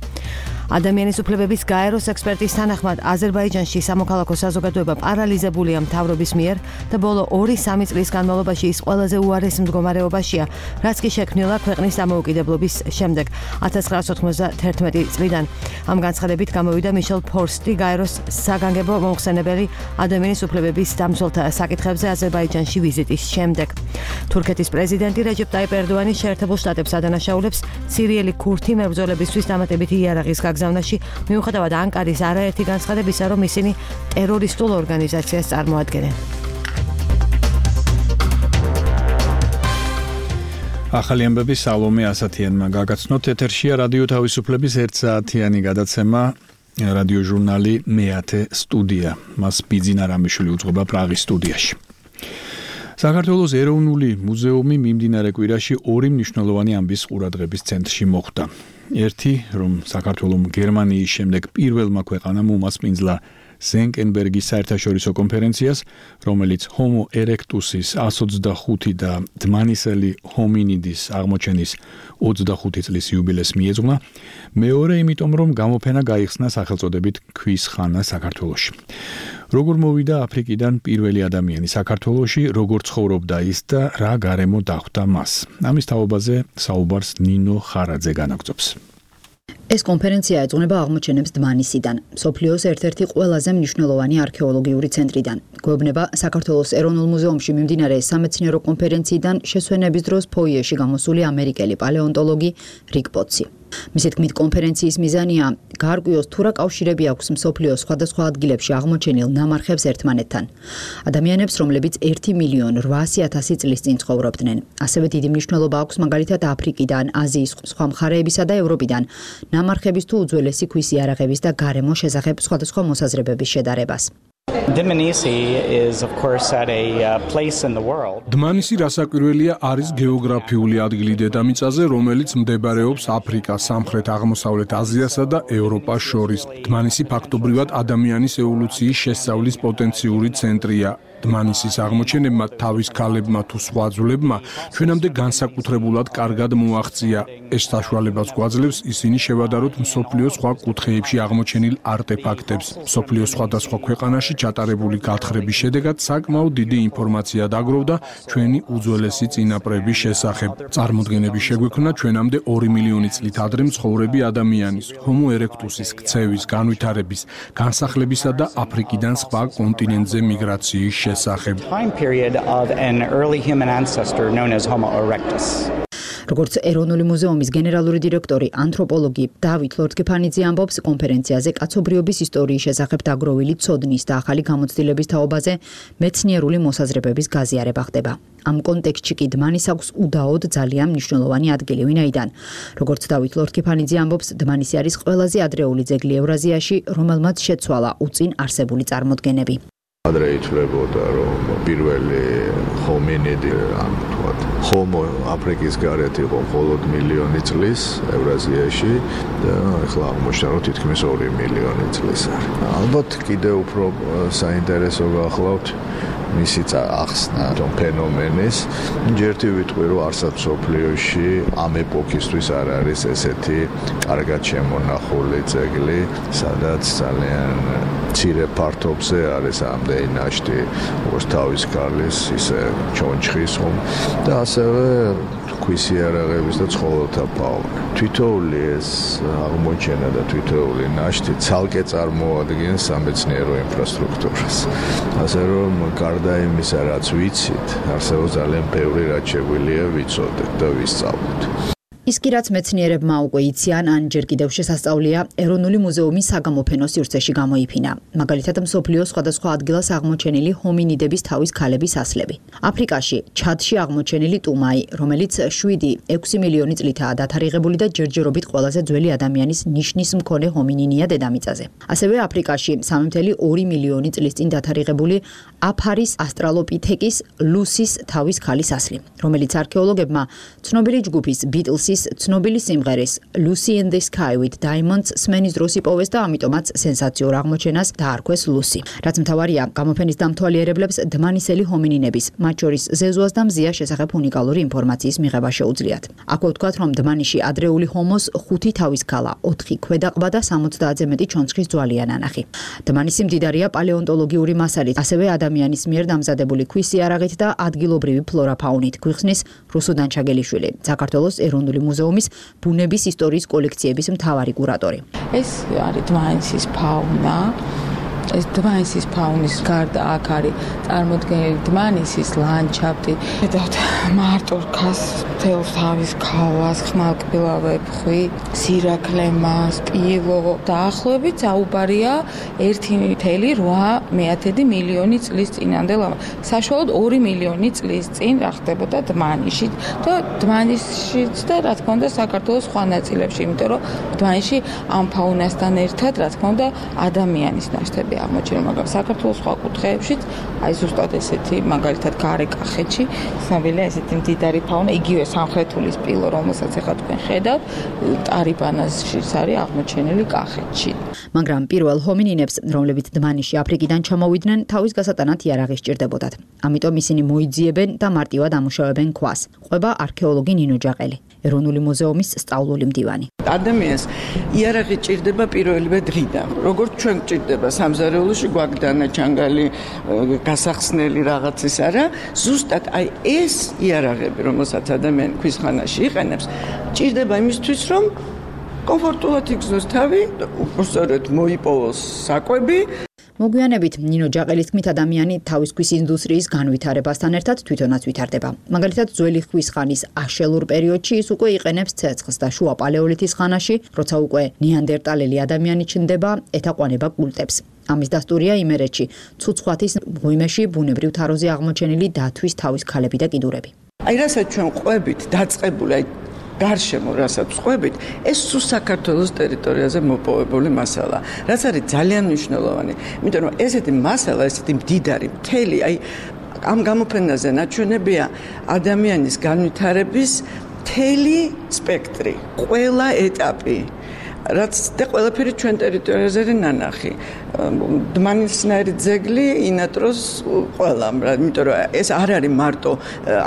ადამიანის უფლებების გაეროს ექსპერტის თანახმად აზერბაიჯანში სამოქალაქო საზოგადოება პარალიზებულია მთავრობის მიერ და ბოლო ორი-სამი წლის განმავლობაში ის ყველაზე უარეს მდგომარეობაშია, რაც კი შექმნილა ქვეყნის დამოუკიდებლობის შემდეგ ათას ცხრაასი ოცდაათი წლიდან. ამ განცხადებით გამოვიდა მიშელ ფორსტი, გაეროს საგანგებო მომხსენებელი ადამიანის უფლებების დამცველთა საკითხებზე აზერბაიჯანში ვიზიტის შემდეგ. თურქეთის პრეზიდენტი რეჯეპ ტაიპ ერდოანი შეერთებულ შტატებს ადანაშაულებს სირიელი ქურთი მებრძოლებისთვის დამატებითი იარაღის გაგზავნაში, მიუხედავად ანკარის არაერთი განცხადებისა, რომ ისინი ტერორისტულ ორგანიზაციას წარმოადგენენ. ახალი ამბები სალომე ასათიანმა გაგაცნოთ. ეთერშია რადიო თავისუფლების ერთსაათიანი გადაცემა, რადიო ჟურნალი მეათე სტუდია. მას ბიძინა რამიშვილი უძღვება პრაღის სტუდიაში. საქართველოს ეროვნული მუზეუმი მიმდინარე კვირაში ორი მნიშვნელოვანი ამბის ყურადღების ცენტრში მოხვდა. ერთი, რომ საქართველოს გერმანიის შემდეგ პირველმა ქვეყანამ უმასპინძლა ზენკენბერგის საერთაშორისო კონფერენციას, რომელიც ჰომო ერექტუსის εκατს ოცდახუთი და დმანისელი ჰომინიდის აღმოჩენის ოცდახუთი წლის იუბილეს მიეძღვნა. მეორე, იმიტომ, რომ გამოფენა გაიხსნა სახელწოდებით ქვის ხანა საქართველოში. როგორ მოვიდა აფრიკიდან პირველი ადამიანი საქართველოში, როგორ ცხოვრობდა ის და რა გარემო დახვდა მას. ამის თაობაზე საუბარს ნინო ხარაძე განაგრძობს. ეს კონფერენცია ეძღვნება აღმოჩენებს დმანისიდან, მსოფლიოს ერთ-ერთი ყველაზე მნიშვნელოვანი არქეოლოგიური ცენტრიდან. გვეუბნება საქართველოს ეროვნულ მუზეუმში მიმდინარე სამეცნიერო კონფერენციიდან შესვენების დროს ფოიეში გამოსული ამერიკელი პალეონტოლოგი რიკ პოტსი. მისი თქმით, კონფერენციის მიზანია გაარკვიოს თუ რა კავშირები აქვს მსოფლიოს სხვადასხვა ადგილებში აღმოჩენილ ნამარხებს ერთმანეთთან. ადამიანებს, რომლებიც ერთი მილიონი რვაასი ათასი წლის წინ ცხოვრობდნენ. ასევე დიდი მნიშვნელობა აქვს მაგალითად აფრიკიდან, აზიის სხვა მხარეებისა და ევროპიდან ნამარხების თუ უძველესი ქვის იარაღების და გარემოს შესახებ სხვადასხვა მოსაზრებების შედარებას. დმანისი რასაკვირველია არის გეოგრაფიული ადგილი დედამიწაზე, რომელიც მდებარეობს აფრიკას, სამხრეთ აღმოსავლეთ აზიასა და ევროპას შორის. დმანისი ფაქტობრივად ადამიანის ევოლუციის შესწავლის პოტენციური ცენტრია. დმანისის აღმოჩენებმა თავის ქალებმა თუ სხვა ძვლებმა ჩვენამდე განსაკუთრებულად კარგად მოაღწია. ეს საშუალებას გვაძლევს ისინი შევადაროთ მსოფლიოს სხვა კუთხეებში აღმოჩენილ არტეფაქტებს. მსოფლიოს სხვადასხვა ქვეყანაში ჩატარებული გათხრების შედეგად საკმაოდ დიდი ინფორმაცია დაგროვდა ჩვენი უძველესი წინაპრების შესახებ. წარმოდგენების შეგვექმნა ჩვენამდე ორი მილიონი წლით ადრე მცხოვრები ადამიანის, ჰომო ერექტუსის, ქცევის, განვითარების, განსახლებისა და აფრიკიდან სხვა კონტინენტზე მიგრაციის შესახებ. როგორც ეროვნული მუზეუმის გენერალური დირექტორი, ანთროპოლოგი დავით ლორთქიფანიძე ამბობს, კონფერენციაზე კაცობრიობის ისტორიის შესახებ დაგროვილი ცოდნის და ახალი გამოცდილების თაობაზე მეცნიერული მოსაზრებების გაზიარება ხდება. ამ კონტექსტში კი დმანის აქვს უდაოდ ძალიან მნიშვნელოვანი ადგილი, ვინაიდან, როგორც დავით ლორთქიფანიძე ამბობს, დმანისი არის ყველაზე ადრეული ძეგლი ევრაზიაში, რომელმაც შეცვალა უწინ არსებული წარმოდგენები. ადრე ითვლებოდა, რომ პირველი ჰომინიდი, ან თქვათ, ჰომო აფრიკის გარეთ იყო მხოლოდ მილიონი წლის ევრაზიაში და ახლა აღმოჩნდა, რომ თითქმის ორი მილიონი წლის არის. ალბათ კიდევ უფრო საინტერესო გახლავთ მისი ახსნა ამ ფენომენის. ჯერთი ვიტყვი, რომ არსად მსოფლიოში ამ ეპოქისთვის არ არის ესეთი კარგად შემონახული ძეგლი, სადაც ძალიან მცირე ფართობზე არის ამდენი ნაშთი, როგორც თავის ქალის, ისე ჩონჩხის ხომ და ასევე ქვის იარაღების და ცხოველთა ფაუნა. თითოეული ეს აღმოჩენა და თითოეული ნაშთი ცალკე წარმოადგენს სამეცნიერო ინფრასტრუქტურას. ასე რომ გარდა იმისა, რაც ვიცით, არსებობს ძალიან ბევრი რაც შეგვიძლია ვიცოდეთ და ვისწავლოთ. ის კი რაც მეცნიერებმა უკვე იციან, ან ჯერ კიდევ შესასწავლია, ეროვნული მუზეუმი საგამოფენო სივრცეში გამოიფინა. მაგალითად, მსოფლიოს სხვადასხვა ადგილას აღმოჩენილი ჰომინიდების თავის ქალების ასლები. აფრიკაში, ჩადში აღმოჩენილი ტუმაი, რომელიც შვიდი ექვსი მილიონი წლითაა დათარიღებული და ჯერჯერობით ყველაზე ძველი ადამიანის ნიშნის მქონე ჰომინინია დედამიწაზე. ასევე აფრიკაში სამი წუთი ორი მილიონი წლის წინ დათარიღებული აფარის ასტრალოპითეკის ლუსის თავის ქალის ასლი, რომელიც არქეოლოგებმა ცნობილი ჯგუფის ბიტლსის ცნობილი სიმღერის Lucy in the Sky with Diamonds სმენის დროს იპოვეს და ამიტომაც სენსაციურ აღმოჩენას დაარქვეს ლუსი. რაც მთავარია, გამოფენის დამთვალიერებლებს დმანისელი ჰომინინების, მათ შორის ზეზუას და მზიას შესახებ უნიკალური ინფორმაციის მიღება შეუძლიათ. აქვე ვთქვათ, რომ დმანიში ადრეული ჰომოს ხუთი თავის ქალა, ოთხი ქვედაყბა და სამოცდაათზე მეტი ჩონჩხის ძვალია ნანახი. დმანისი მდიდარია პალეონტოლოგიური მასალით, ასევე ადამიანის მიერ დამზადებული ქვის იარაღით და ადგილობრივი ფლორა-ფაუნით, გვიხსნის რუსუდან ჩაგელიშვილი, საქართველოს ეროვნული მუზეუმის ბუნების ისტორიის კოლექციების მთავარი კურატორი. ეს არის დმანისის ფაუნა. ეს დმანისის ფაუნის გარდა აქ არის წარმოდგენილი დმანისის ლანდშაფტი. ხედავთ მარტურქას, თელს თავის ქალას, ხმალკბილავებში, სირაქლემას, პილო. დაახლოებით საუბარია ერთი წელი რვა მეათედი მილიონი წლის წინანდელ. საშუალოდ ორი მილიონი წლის წინ რა ხდებოდა დმანიშში და დმანისშიც და რა თქმა უნდა საქართველოს სხვა ნაწილებში, იმიტომ რომ დმანისში ამ ფაუნასთან ერთად რა თქმა უნდა ადამიანის ნაშთები აღმოჩენილ, მაგრამ საქართველოს სხვა კუთხეებშიც, აი ზუსტად ესეთი, მაგალითად გარეკახეთში, ცნობილია ესეთი მდიდარი ფაუნა, იგივე სამხრეთულის პილო, რომელსაც ახლა თქვენ ხედავთ, ტარიბანაშიც არის აღმოჩენილი კახეთში. მაგრამ პირველ ჰომინინებს, რომლებიც დმანიში აფრიკიდან ჩამოვიდნენ, თავის გასატანად იარაღი სჭირდებოდათ. ამიტომ ისინი მოიძიებენ და მარტივად ამუშავებენ ქვას. ყვება არქეოლოგი ნინო ჯაყელი, ეროვნული მუზეუმის სწავლული მდივანი. ადამიანს იარაღი ჭირდება პირველივე დღიდან. როგორც ჩვენ ჭირდება სამზარეულოში გვაგდანა ჩანგალი გასახსნელი რაღაცის არა, ზუსტად აი ეს იარაღები, რომელსაც ადამიანი ქვის ხანაში იყენებს, ჭირდება იმისთვის, რომ კომფორტულად იგზნოს თავი, უბრალოდ მოიპოვოს საკვები. მოგვიანებით ნინო ჯაყელის თქმით, ადამიანი თავის ქვის ინდუსტრიის განვითარებასთან ერთად თვითონაც ვითარდება. მაგალითად, ძველი ქვის ხანის აშელურ პერიოდში ის უკვე იყენებს ცეცხლს და შუა პალეოლითის ხანაში, როცა უკვე ნეანდერტალელი ადამიანი ჩნდება, ეთაყვანება კულტებს. ამის დასტურია იმერეთში, ცუცხვათის მღვიმეში ბუნებრივ თაროზე აღმოჩენილი დათვის თავის ქალები და კიდურები. აი რასაც ჩვენ ყვებით დაწყებული, აი გარშემო რასაც ყვებით, ეს სულ საქართველოს ტერიტორიაზე მოპოვებული მასალა, რაც არის ძალიან მნიშვნელოვანი, იმიტომ რომ ესეთი მასალა, ესეთი მდიდარი მთელი, აი ამ გამოფენაზე ნაჩვენებია ადამიანის განვითარების მთელი სპექტრი, ყველა ეტაპი. რაც და ყველაფერი ჩვენ ტერიტორიაზე ნანახი. დმანისნაირი ძეგლი ინატროს ყველამ, იმიტომ რომ ეს არ არის მარტო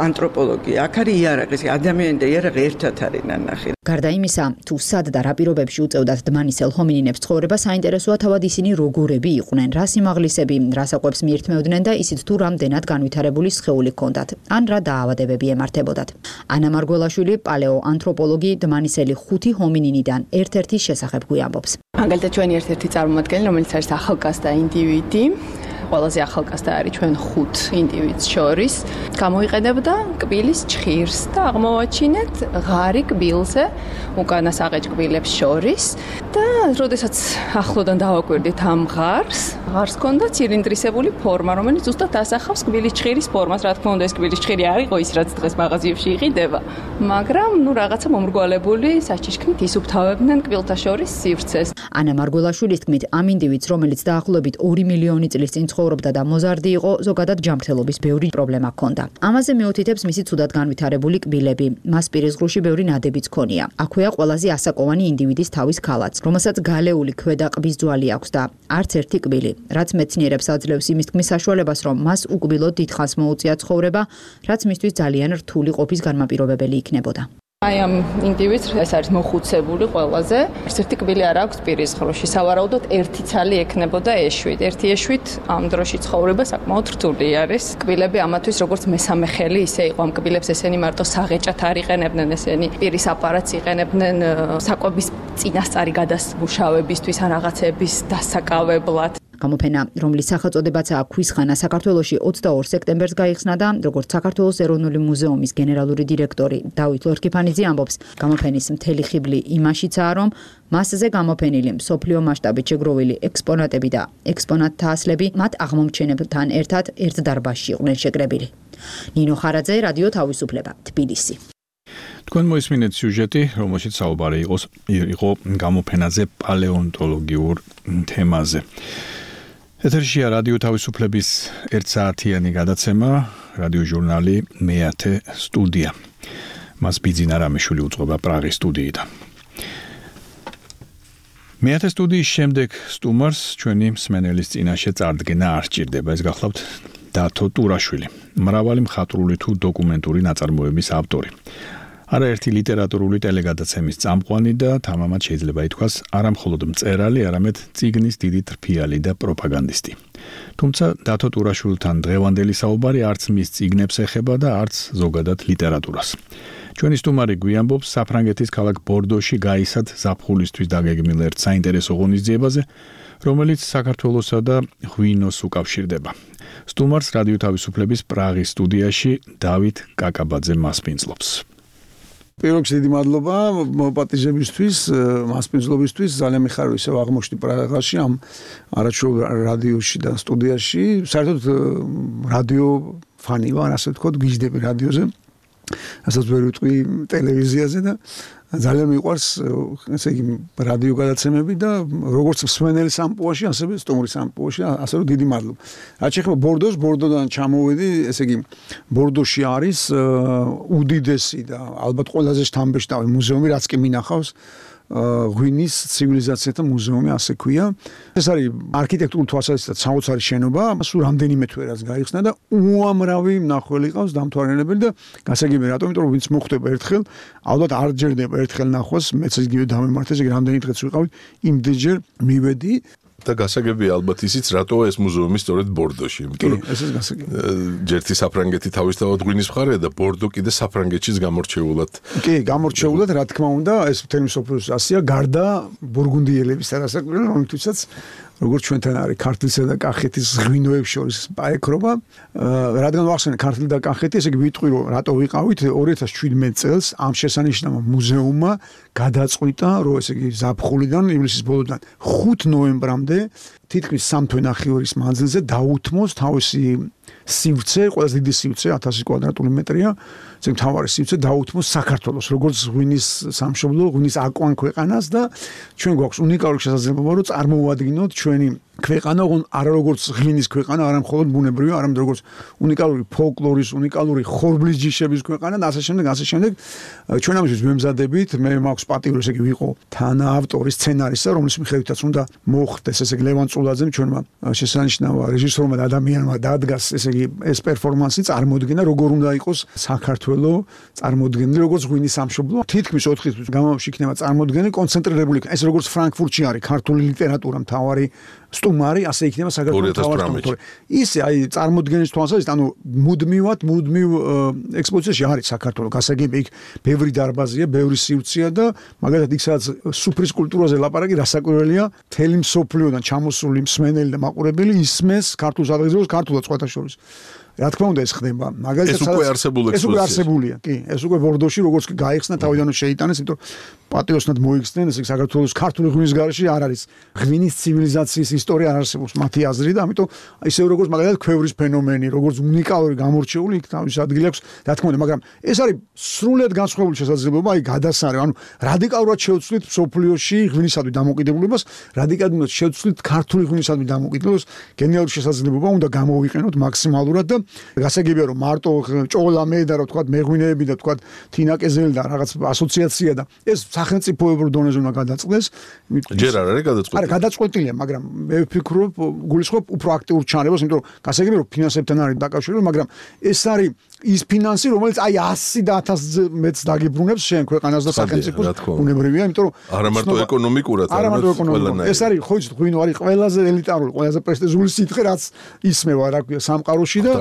ანთროპოლოგია, აქ არის იარაღი, ადამიანი და იარაღი ერთად არის ნანახი. გარდა იმისა, თუ სად და რა პირობებში უწევდათ დმანისელ ჰომინინებს ცხოვრება, საინტერესოა თავად ისინი როგორები იყვნენ, რა სიმაღლისები, რა საკვებს მიირთმევდნენ და ისიც თუ რამდენად განვითარებული სხეული ჰქონდათ, ან რა დაავადებები ემართებოდათ. ანა მარგველაშვილი, პალეოანთროპოლოგი, დმანისელი ხუთი ჰომინინიდან ერთ-ერთი შესახებ გვიამბობს. მაგალითად, ჩვენი ერთ-ერთი წარმომადგენელი, რომელიც არის ახალგაზრდა ინდივიდი, ყველაზე ახალგაზრდა არის ჩვენ ხუთ ინდივიდს შორის, გამოიყენებდა კბილის ჭხირს და აღმოვაჩინეთ ღარი კბილზე უკანასაღე კბილებს შორის და როდესაც ახლოდან დავაკვირდით ამ ღარს, ღარს ჰქონდა ცილინდრისებური ფორმა, რომელიც ზუსტად ასახავს კბილის ჭხირის ფორმას. რა თქმა უნდა, ეს კბილის ჭხირი არ იყო ის, რაც დღეს მაღაზიებში იყიდება, მაგრამ ნუ რაღაცა მომრგვალებული საჩიშქნით ისუფთავებდნენ კბილთა შორის სივრცეს. ანა მარგველაშვილის თქმით, ამ ინდივიდს, რომელიც დაახლოებით ორი მილიონი წლის წინ ცხოვრობდა და მოზარდი იყო, ზოგადად ჯანმრთელობის ბევრი პრობლემა ჰქონდა. ამაზე მიუთითებს მისი ცუდად განვითარებული კბილები. მას პირისგრუში ბევრი ნადებიც ჰქონია. აქვეა ყველაზე ასაკოვანი ინდივიდის თავის ქალაც, რომელსაც გალეული ქვედა ყბის ძვალი აქვს და არც ერთი კბილი, რაც მეცნიერებს აძლევს იმის თქმის საშუალებას, რომ მას უკბილოდ დიდხანს მოუწია ცხოვრება, რაც მისთვის ძალიან რთული ყოფის განმაპირობებელი იქნებოდა. აი ამ ინდივიდს ეს არის მოხუცებული ყველაზე. ერთ ერთი კბილი არ აქვს პირის ღრუში. სავარაუდოდ ერთი ცალი ექნებოდა ეშვით. ერთი ეშვით ამ დროში ცხოვრება საკმაოდ რთული არის. კბილები ამათვის როგორც მესამე ხელი ისე იყო. ამ კბილებს ესენი მარტო საღეჭად არ იყენებდნენ, ესენი პირის აპარატს იყენებდნენ საკვების წინასწარი გადამუშავებისთვის ან რაღაცების დასაკავებლად. გამოფენა, რომლის სახელწოდებაცაა ქვისხანა, საქართველოში ოცდაორ სექტემბერს გაიხსნა და როგორც საქართველოს ეროვნული მუზეუმის გენერალური დირექტორი დავით ლორქიფანიძე ამბობს, გამოფენის მთელი ხიბლი იმაშიცაა, რომ მასზე გამოფენილი მსოფლიო მასშტაბით შეგროვილი ექსპონატები და ექსპონატთა ასლები მათ აღმომჩენებთან ერთად ერთ დარბაზში იყვნენ შეკრებილი. ნინო ხარაძე, რადიო თავისუფლება, თბილისი. თქვენ მოისმინეთ სიუჟეტი, რომელშიც საუბარი იყოს იყო გამოფენაზე პალეონტოლოგიურ თემაზე. ეთერშია რადიო თავისუფლების ერთ საათიანი გადაცემა, რადიო ჟურნალი მეათე სტუდია. მას ბიძინა რამიშვილი უძღვება პრაღის სტუდიიდან. მეათე სტუდიის შემდეგ სტუმარს ჩვენი მსმენელის წინაშე წარდგენა არ სჭირდება. ეს გახლავთ დათო ტურაშვილი, მრავალი მხატვრული თუ დოკუმენტური ნაწარმოების ავტორი. არაერთი ლიტერატურული ტელეგადაცემის წამყვანი და თამამად შეიძლება ითქვას არა მხოლოდ მწერალი, არამედ წიგნის დიდი თრფიალი და პროპაგანდისტი. თუმცა დათო ტურაშვილთან დღევანდელი საუბარი არც მის წიგნებს ეხება და არც ზოგადად ლიტერატურას. ჩვენი სტუმარი გვიამბობს საფრანგეთის ქალაქ ბორდოში გაისად ზაფხულისთვის დაგეგმილ ერთ საინტერესო ღონისძიებაზე, რომელიც საქართველოსა და ღვინოს უკავშირდება. სტუმარს რადიო თავისუფლების პრაღის სტუდიაში დავით კაკაბაძე მასპინძლობს. პირველ რიგში დიდი მადლობა მოპატიჟებისთვის, მასპინძლობისთვის. ძალიან მიხარია ისევ აღმოჩნდი პრაღაში ამ არაჩვეულ რადიოში და სტუდიაში. საერთოდ რადიო ფანი ვარ, ასე ვთქვათ, გიждდები რადიოზე. ასაც ვერ ვიტყვი ტელევიზიაზე და ძალიან მიყვარს ესე იგი რადიო გადაცემები და როგორც მსმენელი სამპუაში, ასევე სტუმრის სამპუაში, ასე რომ დიდი მადლობა. რაც შეეხება ბორდოს, ბორდოდან ჩამოვედი, ესე იგი ბორდოში არის უდიდესი და ალბათ ყველაზე შთამბეჭდავი მუზეუმი, რაც კი მინახავს. ღვინის ცივილიზაციათა მუზეუმი, ასე ქვია. ეს არის არქიტექტურული თვალსაზრისით საოცარი შენობა, სულ რამდენიმე თვე რაც გაიხსნა და უამრავი მნახველი ყავს დამთვალიერებელი და გასაგებია რატომ, იმიტომ რომ ვინც მოხვდება ერთხელ, ალბათ არ ჯერდება ერთხელ ნახვას, მეც იგივე დამემართა, ესე იგი რამდენი დღეც ვიყავი, იმდენჯერ მივედი. და გასაგებია ალბათ ისიც, რატო ეს მუზეუმი სწორედ ბორდოში, იმიტომ რომ ეს გასაგებია. ჯერთი საფრანგეთი თავისთავად ღვინის მხარეა და ბორდო კიდე საფრანგეთშიც გამორჩეულად. კი, გამორჩეულად, რა თქმა უნდა, ეს მთელი მსოფლიოს ასია, გარდა ბურგუნდიელების არასაკვირველი, რომლითაც როგორც ჩვენთან არის ქართლისა და კახეთის ღვინოებს შორის პაექრობა, რადგან ვახსენე ქართლი და კახეთი, ესე იგი ვიტყვი რომ რატო ვიყავით ორი ათას შვიდმეტ წელს ამ შესანიშნავ მუზეუმმა გადაწყვიტა, რომ ესე იგი ზაფხულიდან ივლისის ბოლოდან ხუთი ნოემბრამდე თითქმის სამ თვე ნახევრის მანძილზე დაუთმოს თავისი სივრცე, ყველაზე დიდი სივრცე ათასი კვადრატული მეტრია, ეს მთავარი სივრცე დაუთმოს საქართველოს, როგორც ღვინის სამშობლო, ღვინის აკვან ქვეყანას და ჩვენ გვაქვს უნიკალური შესაძლებლობა, რომ წარმოვადგინოთ ჩვენი ქვეყანა, არა როგორც ღვინის ქვეყანა, არა მხოლოდ ბუნებრივი, არამედ როგორც უნიკალური ფოლკლორის, უნიკალური ხორბლის ჯიშების ქვეყანა და ასე შემდეგ, ასე შემდეგ. ჩვენ ამისთვის ვემზადებით, მე მაქვს პატივი, ესე იგი ვიყო თანაავტორი სცენარისა, რომლის მიხედვითაც უნდა მოხდეს, ესე იგი ლევან წულაძემ ჩვენმა შესანიშნავ რეჟისორმა და ადამიანმა დადგას, ესე იგი ეს პერფორმანსი წარმოდგენა, როგორ უნდა იყოს საქართველოს წარმოდგენილი, როგორც ღვინის სამშობლო. თითქმის ოთხი თვის განმავლობაში იქნება წარმოდგენილი კონცენტრირებული, ეს როგორც ფრანკფურტში არის ქართული ლიტერატურა მთავარი სტუმარი, ასე იქნება საქართველოს მთავარი სტუმარი. ისე აი წარმოდგენის თვალსაზრისით, ანუ მუდმივად, მუდმივ ექსპოზიციაში არის საქართველოს გასაგები, იქ ბევრი დარბაზია, ბევრი სივრცეა და მაგალითად იქ სადაც სუფრის კულტურაზე ლაპარაკი, რასაკვირველია, მთელი მსოფლიოდან ჩამოსული მსმენელი და მაყურებელი ისმეს ქართულ სადღეგრძელოს, ქართულად სხვათა შორის. რა თქმა უნდა ეს ხდება. მაგალითად ეს უკვე არსებული ეს უკვე არსებულია, კი. ეს უკვე ბორდოში როგორც კი გაიხსნა თავიდანვე შეიტანეს, იმიტომ რომ პატიოსნად მოიხსნენ, ესე იგი საქართველოს ქართული ღვინის გარეშე არ არის ღვინის ცივილიზაციის ისტორია არ არსებობს მათი აზრი და ამიტომ ისევ როგორც მაგალითად ქვევრის ფენომენი, როგორც უნიკალური გამორჩეული იქ თავის ადგილი აქვს, რა თქმა უნდა, მაგრამ ეს არის სრულად განსხვავებული შესაძლებლობა, აი გადასარე, ანუ რადიკალურად შევცვლით სოფლიოში ღვინისადმი დამოკიდებულებას, რადიკალურად შევცვლით ქართული ღვინისადმი დამოკიდებულებას, გენიალური შესაძლებლობა უნდა გამოვიყენოთ მაქსიმალურად და გასაგებია რომ მარტო ჭოლა მე და რა ვთქვათ მეღვინეები და ვთქვათ თინაკეზელი და რაღაც ასოციაცია და ეს სახელმწიფოებრივ დონეზე უნდა გადაწყდეს. ჯერ არ არის გადაწყვეტილი. არა, გადაწყვეტილია, მაგრამ მე ვფიქრობ, გულისხმობ უფრო აქტიურ ჩანებას, იმიტომ რომ გასაგებია რომ ფინანსებთან არის დაკავშირებული, მაგრამ ეს არის ის ფინანსი, რომელიც აი ასი და ათასზე მეც დაგიბრუნებს შენ ქვეყანას და სახელმწიფოს უნებრივია, იმიტომ რომ არა მარტო ეკონომიკურად, არა მარტო ეკონომიკურად. ეს არის ხო იცით, ღვინო არის ყველაზე elitარული, ყველაზე პრესტიჟული სითხე, რაც ისმევა რა ქვია სამყაროში და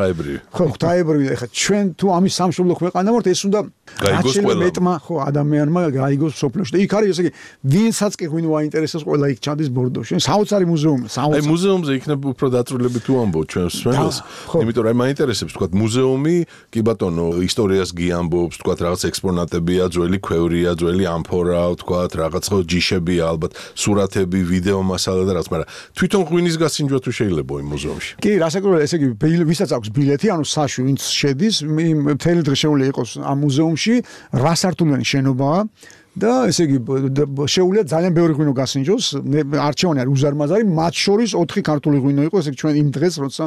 ხო, ღვთაებრივი. ეხლა ჩვენ თუ ამის სამშობლო ქვეყანა ვართ, ეს უნდა გაიგოს ყველა მეტმა ხო ადამიანმა გაიგოს სოფლიოში. და იქ არის ესე იგი, ვინცაც კი ღვინო აინტერესებს, ყველა იქ ჩადის ბორდოში. საოცარი მუზეუმი, საოცარი. აი მუზეუმზე იქნება უფრო დაწვრილებით თუ ამბობ ჩვენ სვენელს. იმიტომ რომ მაინტერესებს თქვა მუზეუმი კი ბატონო ისტორიას გიამბობს, თქვა რაღაც ექსპონატებია, ძველი ქვევრია, ძველი ამფორა, თქვა რაღაც ხო ჯიშებია, ალბათ სურათები, ვიდეო მასალა და რაღაც, მაგრამ თვითონ ღვინის გასინჯვა თუ შეიძლება იმ მუზეუმში. კი, რასაკვირველია, ესე იგი, ვისაც აქვს ბილეთი, ანუ საშვი, ვინც შედის, მთელი დღე შეუძლია იყოს ამ მუზეუმში, რვა სართულიანი შენობაა. და ესე იგი შეუძლია ძალიან ბევრი ღვინო გასინჯოს, არჩევანი არის უზარმაზარი, მათ შორის ოთხი ქართული ღვინო იყო, ესე იგი ჩვენ იმ დღეს როცა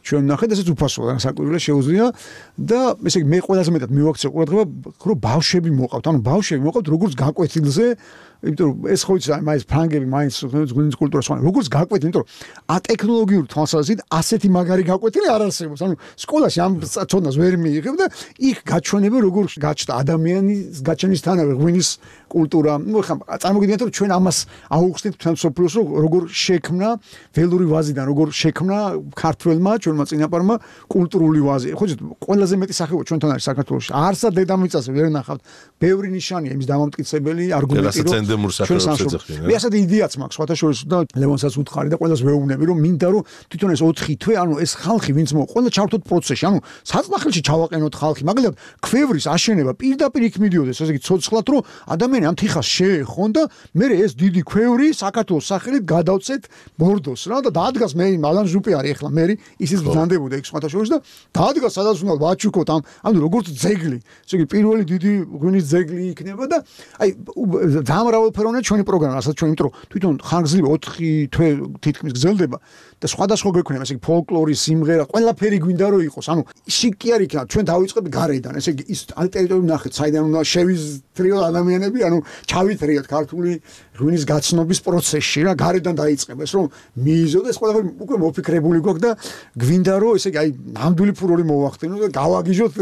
ჩვენ ნახეთ, ესეც უფასოა, საკვირველია შეუძლია და ესე იგი მე ყველაზე მეტად მივაქცია ყურადღება, რომ ბავშვები მოყავთ, ანუ ბავშვები მოყავთ როგორც გაკვეთილზე, იმიტომ რომ ეს ხო იცი, აი მაინც ფრანგები, მაინც ღვინის კულტურას ხან როგორც გაკვეთილი, იმიტომ რომ ა ტექნოლოგიური თვალსაზრისით ასეთი მაგარი გაკვეთილი არ არსებობს. ანუ სკოლაში ამ ცოდნას ვერ მიიღებ და იქ გაჩვენება როგორ გაჩნდა ადამიანის გაჩენისთანავე ღვინის კულტურა. ნუ ხა წარმოგიდგენთ რომ ჩვენ ამას აუხსნით თქვენ სოფლიოს როგორ შექმნა ველური ვაზიდან, როგორ შექმნა ქართველმა ჩვენმა წინაპარმა კულტურული ვაზი. ხო იცით, ყველაზე მეტი სახეობა ჩვენთან არის საქართველოში. არსა დედამიწაზე ვერ ნახავთ. ბევრი ნიშანია იმის დამამტკიცებელი არგუმენტი რომ მე ასეთი იდეაც მაქვს, სხვათა შორის და ლევონსაც უთხარი და ყველას ვეუბნები რომ მინდა რომ თვითონ ეს ოთხი თვე, ანუ ეს ხალხი ვინც მო, ყველა ჩავთოთ პროცესში, ანუ საწნახელში ჩავაყენოთ ხალხი, მაგალითად ქვევრის აშენება პირდაპირ იქ მიდიოდეს, ესე იგი ცოცხლად რომ ადამიანი ამ თიხას შეეხონ და მე ეს დიდი ქვევრი საქართველოს სახელით გადავწეთ ბორდოს რა და დაადგას მე ალან ჟუპი არის ახლა მე ისიც ბრძანდებოდა იქ სხვათა შორის და დაადგას სადაც უნდა ვაჩუქოთ ამ ანუ როგორც ძეგლი, ესე იგი პირველი დიდი ღვინის ძეგლი იქნება და აი დამრავალფეროვანია ჩვენი პროგრამა, რასაც ჩვენ იმიტომ რომ თვითონ ხანგრძლივი ოთხი თვე თითქმის გრძელდება და სხვადასხვა გვექნება, ესე იგი ფოლკლორი, სიმღერა, ყველაფერი გვინდა რომ იყოს. ანუ შიკი არ იქნება, ჩვენ დავიწყებ გარედან, ესე იგი ის ტერიტორიები ნახეთ, საიდან უნდა შევიზრიოთ ადამიანები, ანუ ჩავითრიოთ ქართული ღვინის გაცნობის პროცესში რა, გარედან დაიწყება ეს რომ მიიზოდეს, ყველაფერი უკვე მოფიქრებული გვაქვს და გვინდა რომ ესე იგი აი ნამდვილი ფურორი მოვახდინოთ და გავაგიჟოთ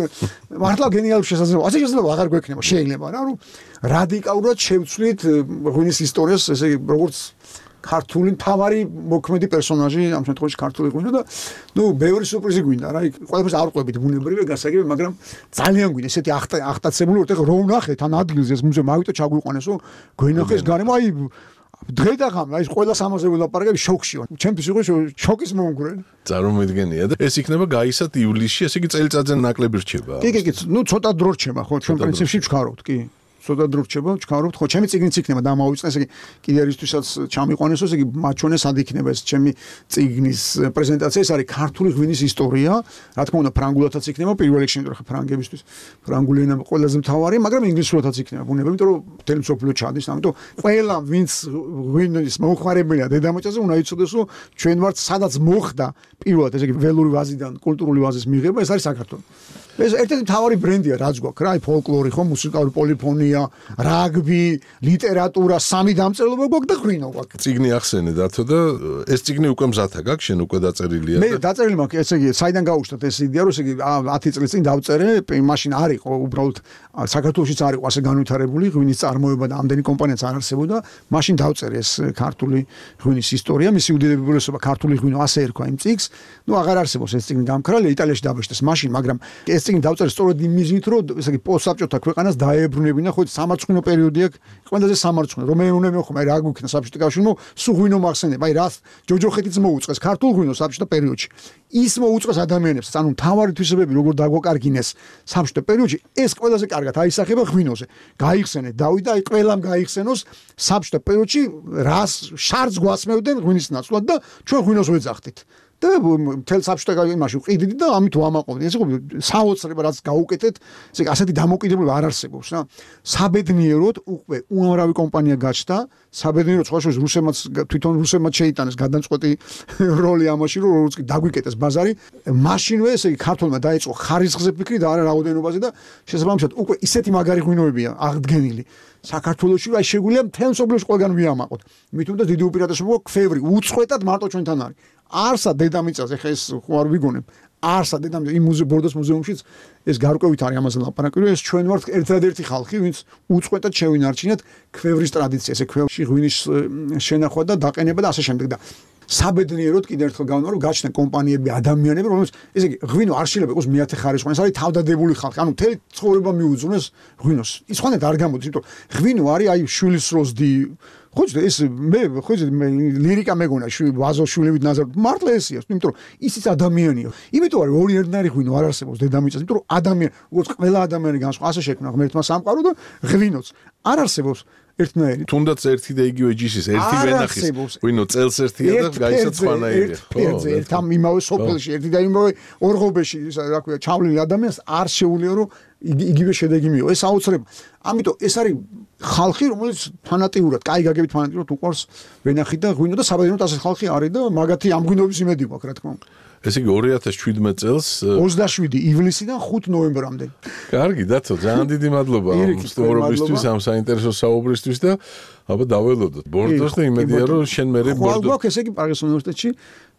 მართლა გენიალური შესაძლებლობა. ასე შესაძლებლობა აღარ გვექნება, შეიძლება რა, რომ რადიკალურად შევცვლით ღვინის ისტორიას, ესე იგი როგორც ქართული მთავარი მოქმედი პერსონაჟი ამ შემთხვევაში ქართული ღვინო და ნუ ბევრი სურპრიზი გვინდა რა, იქ ყველაფერს არ ყვებით ბუნებრივია გასაგები, მაგრამ ძალიან გვინდა ესეთი ახტაცებული ვარ, ეხლა რო ვნახეთ ან ადგილზე ეს მუზეუმი ავიტო ჩაგვიყვანეს, რომ გვენახეს გარემო, აი დღე და ღამე, აი ყველას ამაზე ვილაპარაკებ შოქში ვარ. ჩემთვის იყო შოკის მომგვრელი. წარმოვიდგენია და ეს იქნება გაისად ივლისში, ესე იგი წელიწადზე ნაკლები რჩება. კი, კი, კი, ნუ ცოტა დრო რჩება, ხო, ჩვენ პრინციპში ვჩქარობთ, კი. ცოტა დრო რჩება, ვჩქარობთ, ხო, ჩემი წიგნიც იქნება დამავიწყე, ესე იგი კიდე ერისთვისაც ჩამიყვანესო, ესე იგი მათ ჩვენეს სად იქნება ეს ჩემი წიგნის პრეზენტაცია, ეს არის ქართული ღვინის ისტორია, რა თქმა უნდა ფრანგულადაც იქნება, პირველ რიგში, იმიტომ რომ ფრანგებისთვის ფრანგული ენა ყველაზე მთავარი, მაგრამ ინგლისურადაც იქნება ბუნებრივი, იმიტომ რომ მთელი მსოფლიო ჩადის, ამიტომ ყველა ვინც ღვინის მომხმარებელია დედამიწაზე, უნდა იცოდეს, რომ ჩვენ ვართ სადაც მოხდა პირველად, ესე იგი ველური ვაზიდან კულტურული ვაზის მიღება, ეს არის საქართველო. ეს ერთ-ერთი მთავარი ბრენდია, რაც გვაქვს რა, ფოლკლორი, ხო, მუსიკალური პოლიფონია, რაგბი, ლიტერატურა, სამი დამწერლობა გვაქვს და ღვინო გვაქვს. წიგნი ახსენე დათო და ეს წიგნი უკვე მზათა გაქვს, შენ უკვე დაწერილია და მე დაწერილი მაქვს, ესე იგი, საიდან გავუშვათ ეს იდეა, რომ ესე იგი ათი წლის წინ დავწერე, მაშინ არ იყო უბრალოდ საქართველოშიც არ იყო ასე განვითარებული ღვინის წარმოება და ამდენი კომპანიაც არ არსებობდა, მაშინ დავწერე ეს ქართული ღვინის ისტორია, მისი უდიდებულესობა ქართული ღვინო ასე ერქვა იმ წიგს. ნუ აღარ არსებობს ეს წიგნი გამქრალია, იტალიაში დაბეჭდეს მაშინ, მაგრამ ეს წიგნი დავწერე სწორედ იმ მიზნით, რომ ესე იგი პოსტსაბჭოთა ქვეყანას დაებრუნებინა ხო ხო სამარცხვინო პერიოდი აქვს, ყველაზე სამარცხვინო, რომელიც უნდა მეხო, აი რა გვიქნა საბჭოთა კავშირში, სულ ღვინო მახსენდება, აი რა ჯოჯოხეთიც მოუწყეს ქართულ ღვინოს საბჭოთა პერიოდში. ის მოუწყეს ადამიანებს, ანუ თავარი თვისებები როგორ დაგვაკარგინეს საბჭოთა პერიოდში, ეს ყველაზე კარგად აისახება ღვინოზე. გაიხსენეთ დავით და აი ყველამ გაიხსენოს საბჭოთა პერიოდში რას შარდს გვასმევდნენ ღვინის ნაცვლად და ჩვენ ღვინოს ვეძახდით. და თელ საბჭოთა იმაში ვყიდით და ამით ვამაყობდით. ეს იყო საოცრება რაც გაუკეთეთ, ესე ასეთი დამოკიდებულება არ არსებობს რა. საბედნიეროდ უკვე უამრავი კომპანია გაჩნდა, საბედნიეროდ სხვა შორის რუსებმაც თვითონ რუსებმაც შეიტანეს გადამწყვეტი როლი ამაში, რომ როგორც კი დაგვიკეტეს ბაზარი, მაშინვე ესე იგი ქართულმა დაიწყო ხარისხზე ფიქრი და არა რაოდენობაზე და შესაბამისად უკვე ისეთი მაგარი ღვინოებია აღდგენილი. საქართველოში აი შეგვიძლია მთელ მსოფლიოში ყველგან ვიამაყოთ. მით უმეტეს დიდი უპირატესობა ქვევრი უწყვეტად მარტო ჩვენთან არის. არსა დედამიწაზე ხა ეს ხო არ ვიგონებ. არსა დედამიწაზე იმ მუზეუმ ბორდოს მუზეუმშიც ეს გარკვევით არის ამაზე ლაპარაკი, რომ ეს ჩვენ ვართ ერთადერთი ხალხი, ვინც უწყვეტად შევინარჩინეთ ქვევრის ტრადიცია, ესე ქვევში ღვინის შენახვა და დაყენება და ასე შემდეგ და საბედნიეროდ კიდევ ერთხელ გავნა რომ გაჩნდნენ კომპანიები, ადამიანები, რომელსაც ესე იგი ღვინო არ შეიძლება იყოს მეათე ხარისხოვანი, ეს არის თავდადებული ხალხი, ანუ მთელი ცხოვრება მიუძღვნეს ღვინოს. ის ხანეთ არ გამოდის, იმიტომ ღვინო არის აი შვილის როზდი ხო ეს მე ხო მე ლირიკა მეგონა ვაზო შვილივით ნაზარ მართლა ესია, იმიტომ რომ ისიც ადამიანია. იმიტომ არის ორი ერთნაირი ღვინო არ არსებობს დედამიწაზე, იმიტომ რომ ადამიანი, როგორც ყველა ადამიანი განსხვავ, ასე შექმნა ღმერთმა სამყარო და ღვინოც არ არსებობს ერთნაირი. თუნდაც ერთი და იგივე ჯიშის ერთი ვენახის ღვინო წელს ერთია და გაიცა სხვანაირია. ხო, ერთ ამ იმავე სოფელში, ერთი და იმავე ორღობეში, რა ქვია, ჩავლილი ადამიანს არ შეუძლია რომ იგივე შედეგი მიიღო. ეს აუცილებლად. ამიტომ ეს არის ხალხი, რომელიც ფანატიურად, კაი გაგებით ფანატიურად უყურს ვენახი და ღვინო და საბედნიეროდ ასეთ ხალხი არის და მაგათი ამ ღვინოების იმედი გვაქვს, რა თქმა უნდა. ესე იგი ორი ათას შვიდმეტ წელს ოცდაშვიდი ივლისიდან ხუთი ნოემბრამდე. კარგი, დათო, ძალიან დიდი მადლობა ამ სტუმრობისთვის, ამ საინტერესო საუბრისთვის და აბა დაველოდოთ ბორდოს და იმედია რომ შენ მერე ბორდო. ხო, გვაქვს ესე იგი პარიზის უნივერსიტეტში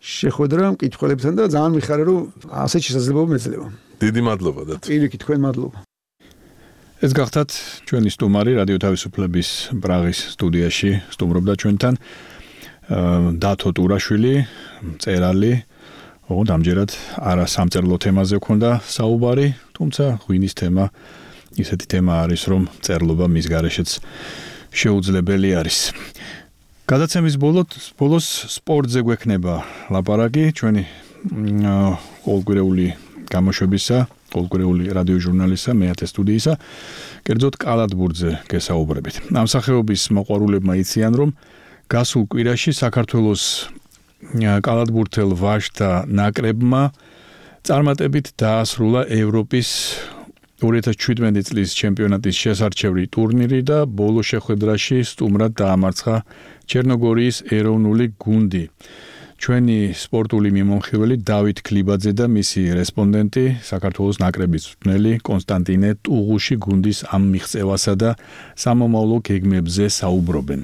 შეხვედრა მკითხველებთან და ძალიან მიხარია რომ ასეთ შესაძლებლობა მეძლევა. დიდი მადლობა დათო. პირიქით, თქვენ მადლობა. ეს გახდათ ჩვენი სტუმარი რადიო თავისუფლების პრაღის სტუდიაში სტუმრობდა ჩვენთან დათო ტურაშვილი, მწერალი. ოღონდ ამჯერად არა სამწერლო თემაზე ქონდა საუბარი, თუმცა ღვინის თემა ისეთი თემა არის, რომ წერლობა მის გარეშეც შეუძლებელი არის. გადაცემის ბოლოს სპორტზე გვექნება ლაპარაკი ჩვენი ყოველკვირეული გამოშვებისა, ყოველკვირეული რადიო ჟურნალისა, მეათე სტუდიისა, კერძოდ კალათბურთზე გესაუბრებით. ამ სახეობის მოყვარულებმა იციან, რომ გასულ კვირაში საქართველოს კალათბურთელ ვაჟთა ნაკრებმა წარმატებით დაასრულა ევროპის ორი ათას შვიდმეტი წლის ჩემპიონატის შესარჩევი ტურნირი და ბოლო შეხვედრაში სტუმრად დაამარცხა ჩერნოგორიის ეროვნული გუნდი. ჩვენი სპორტული მიმომხილველი დავით ქლიბაძე და მისი რესპონდენტი საქართველოს ნაკრების მწვრთნელი კონსტანტინე ტუღუში გუნდის ამ მიღწევასა და სამომავლო გეგმებზე საუბრობენ.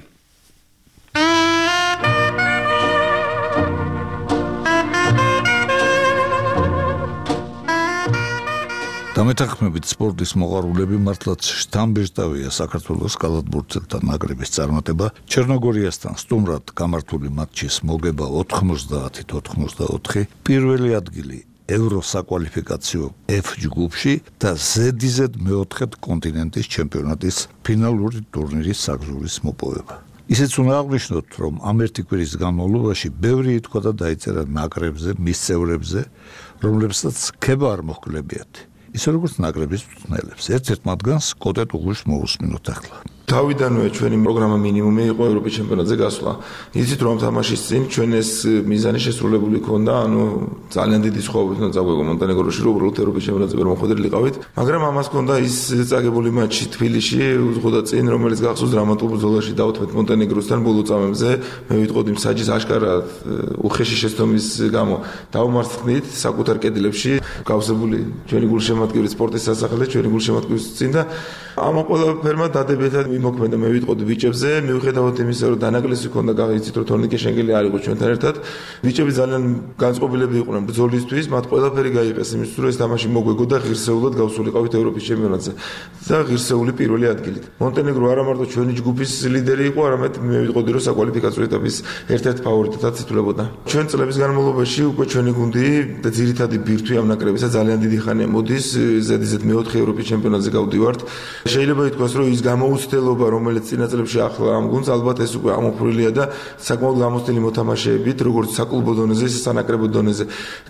დამეთანხმებით სპორტის მოყვარულები მართლაც შთამბეჭდავია საქართველოს კალათბურთელთა ნაკრების წარმატება. ჩერნოგორიასთან სტუმრად გამართული მატჩის მოგება ოთხმოცდაათი ოთხმოცდაოთხი, პირველი ადგილი ევროსაკვალიფიკაციო F ჯგუფში და ზედიზედ მეოთხედ კონტინენტის ჩემპიონატის ფინალური ტურნირის საგზურის მოპოვება. ისიც უნდა აღნიშნოთ, რომ ამ ერთი კვირის განმავლობაში ბევრი ითქვა და დაიწერა ნაკრებზე, მის წევრებზე, რომლებსაც ქება არ მოჰკლებიათ. ისე როგორც ნაკრების მწვრთნელებს. ერთ-ერთ მათგანს კოტე ტუღუშს მოусმინოთ ახლა. თავიდანვე ჩვენი პროგრამა მინიმუმი იყო ევროპის ჩემპიონატზე გასვლა. იცით რომ თამაშის წინ ჩვენ ეს მიზანი შესრულებული ქონდა, ანუ ძალიან დიდი სხვაობით უნდა წაგვეგო მონტენეგროში, რომ უბრალოდ ევროპის ჩემპიონატზე ვერ მოხვედრილიყავით, მაგრამ ამას ქონდა ის წაგებული მატჩი თბილისში, უძღოდა წინ, რომელიც გახსოვს დრამატულ ბრძოლაში დავთმეთ მონტენეგროსთან ბოლო წამებზე. მე ვიტყოდი მსაჯის აშკარად უხეში შეცდომის გამო დავმარცხნით საკუთარ კედლებში, გავსებული ჩვენი გულშემატკივრის სპორტის სასახლე, ჩვენი გულშემატკივრის წინ და ამ ყველაფერმა დადებითად ვიმოქმედა მე ვიტყოდი ბიჭებზე, მიუხედავად იმისა, რომ დანაკლისი ქონდა გავიცით, რომ თორნიკე შენგელი არ იყო ჩვენთან ერთად. ბიჭები ძალიან განწყობილები იყვნენ ბრძოლისთვის, მათ ყველაფერი გაიყეს იმისთვის, რომ ეს თამაში მოგვეგო და ღირსეულად გავსულიყავით ევროპის ჩემპიონატზე და ღირსეული პირველი ადგილით. მონტენეგრო არა მარტო ჩვენი ჯგუფის ლიდერი იყო, არამედ მე ვიტყოდი, რომ საკვალიფიკაციო ეტაპის ერთ-ერთ ფავორიტად ითვლებოდა. ჩვენ წლების განმავლობაში უკვე ჩვენი გუნდი და ძირითადი ბირთვი ამ ნაკრებისა ძალიან დიდი ხანია მოდის, ზედიზედ მეოთხე ევროპის ჩემპიონატზე გავდივართ. შეიძლება ითქვას, რომ ის გამოუცდელობა, რომელიც წინა წლებში ახლა ამ გუნდს, ალბათ ეს უკვე ამოფრვილია და საკმაოდ გამოცდილი მოთამაშეებით, როგორც საკლუბო დონეზე, ისე სანაკრებო დონეზე.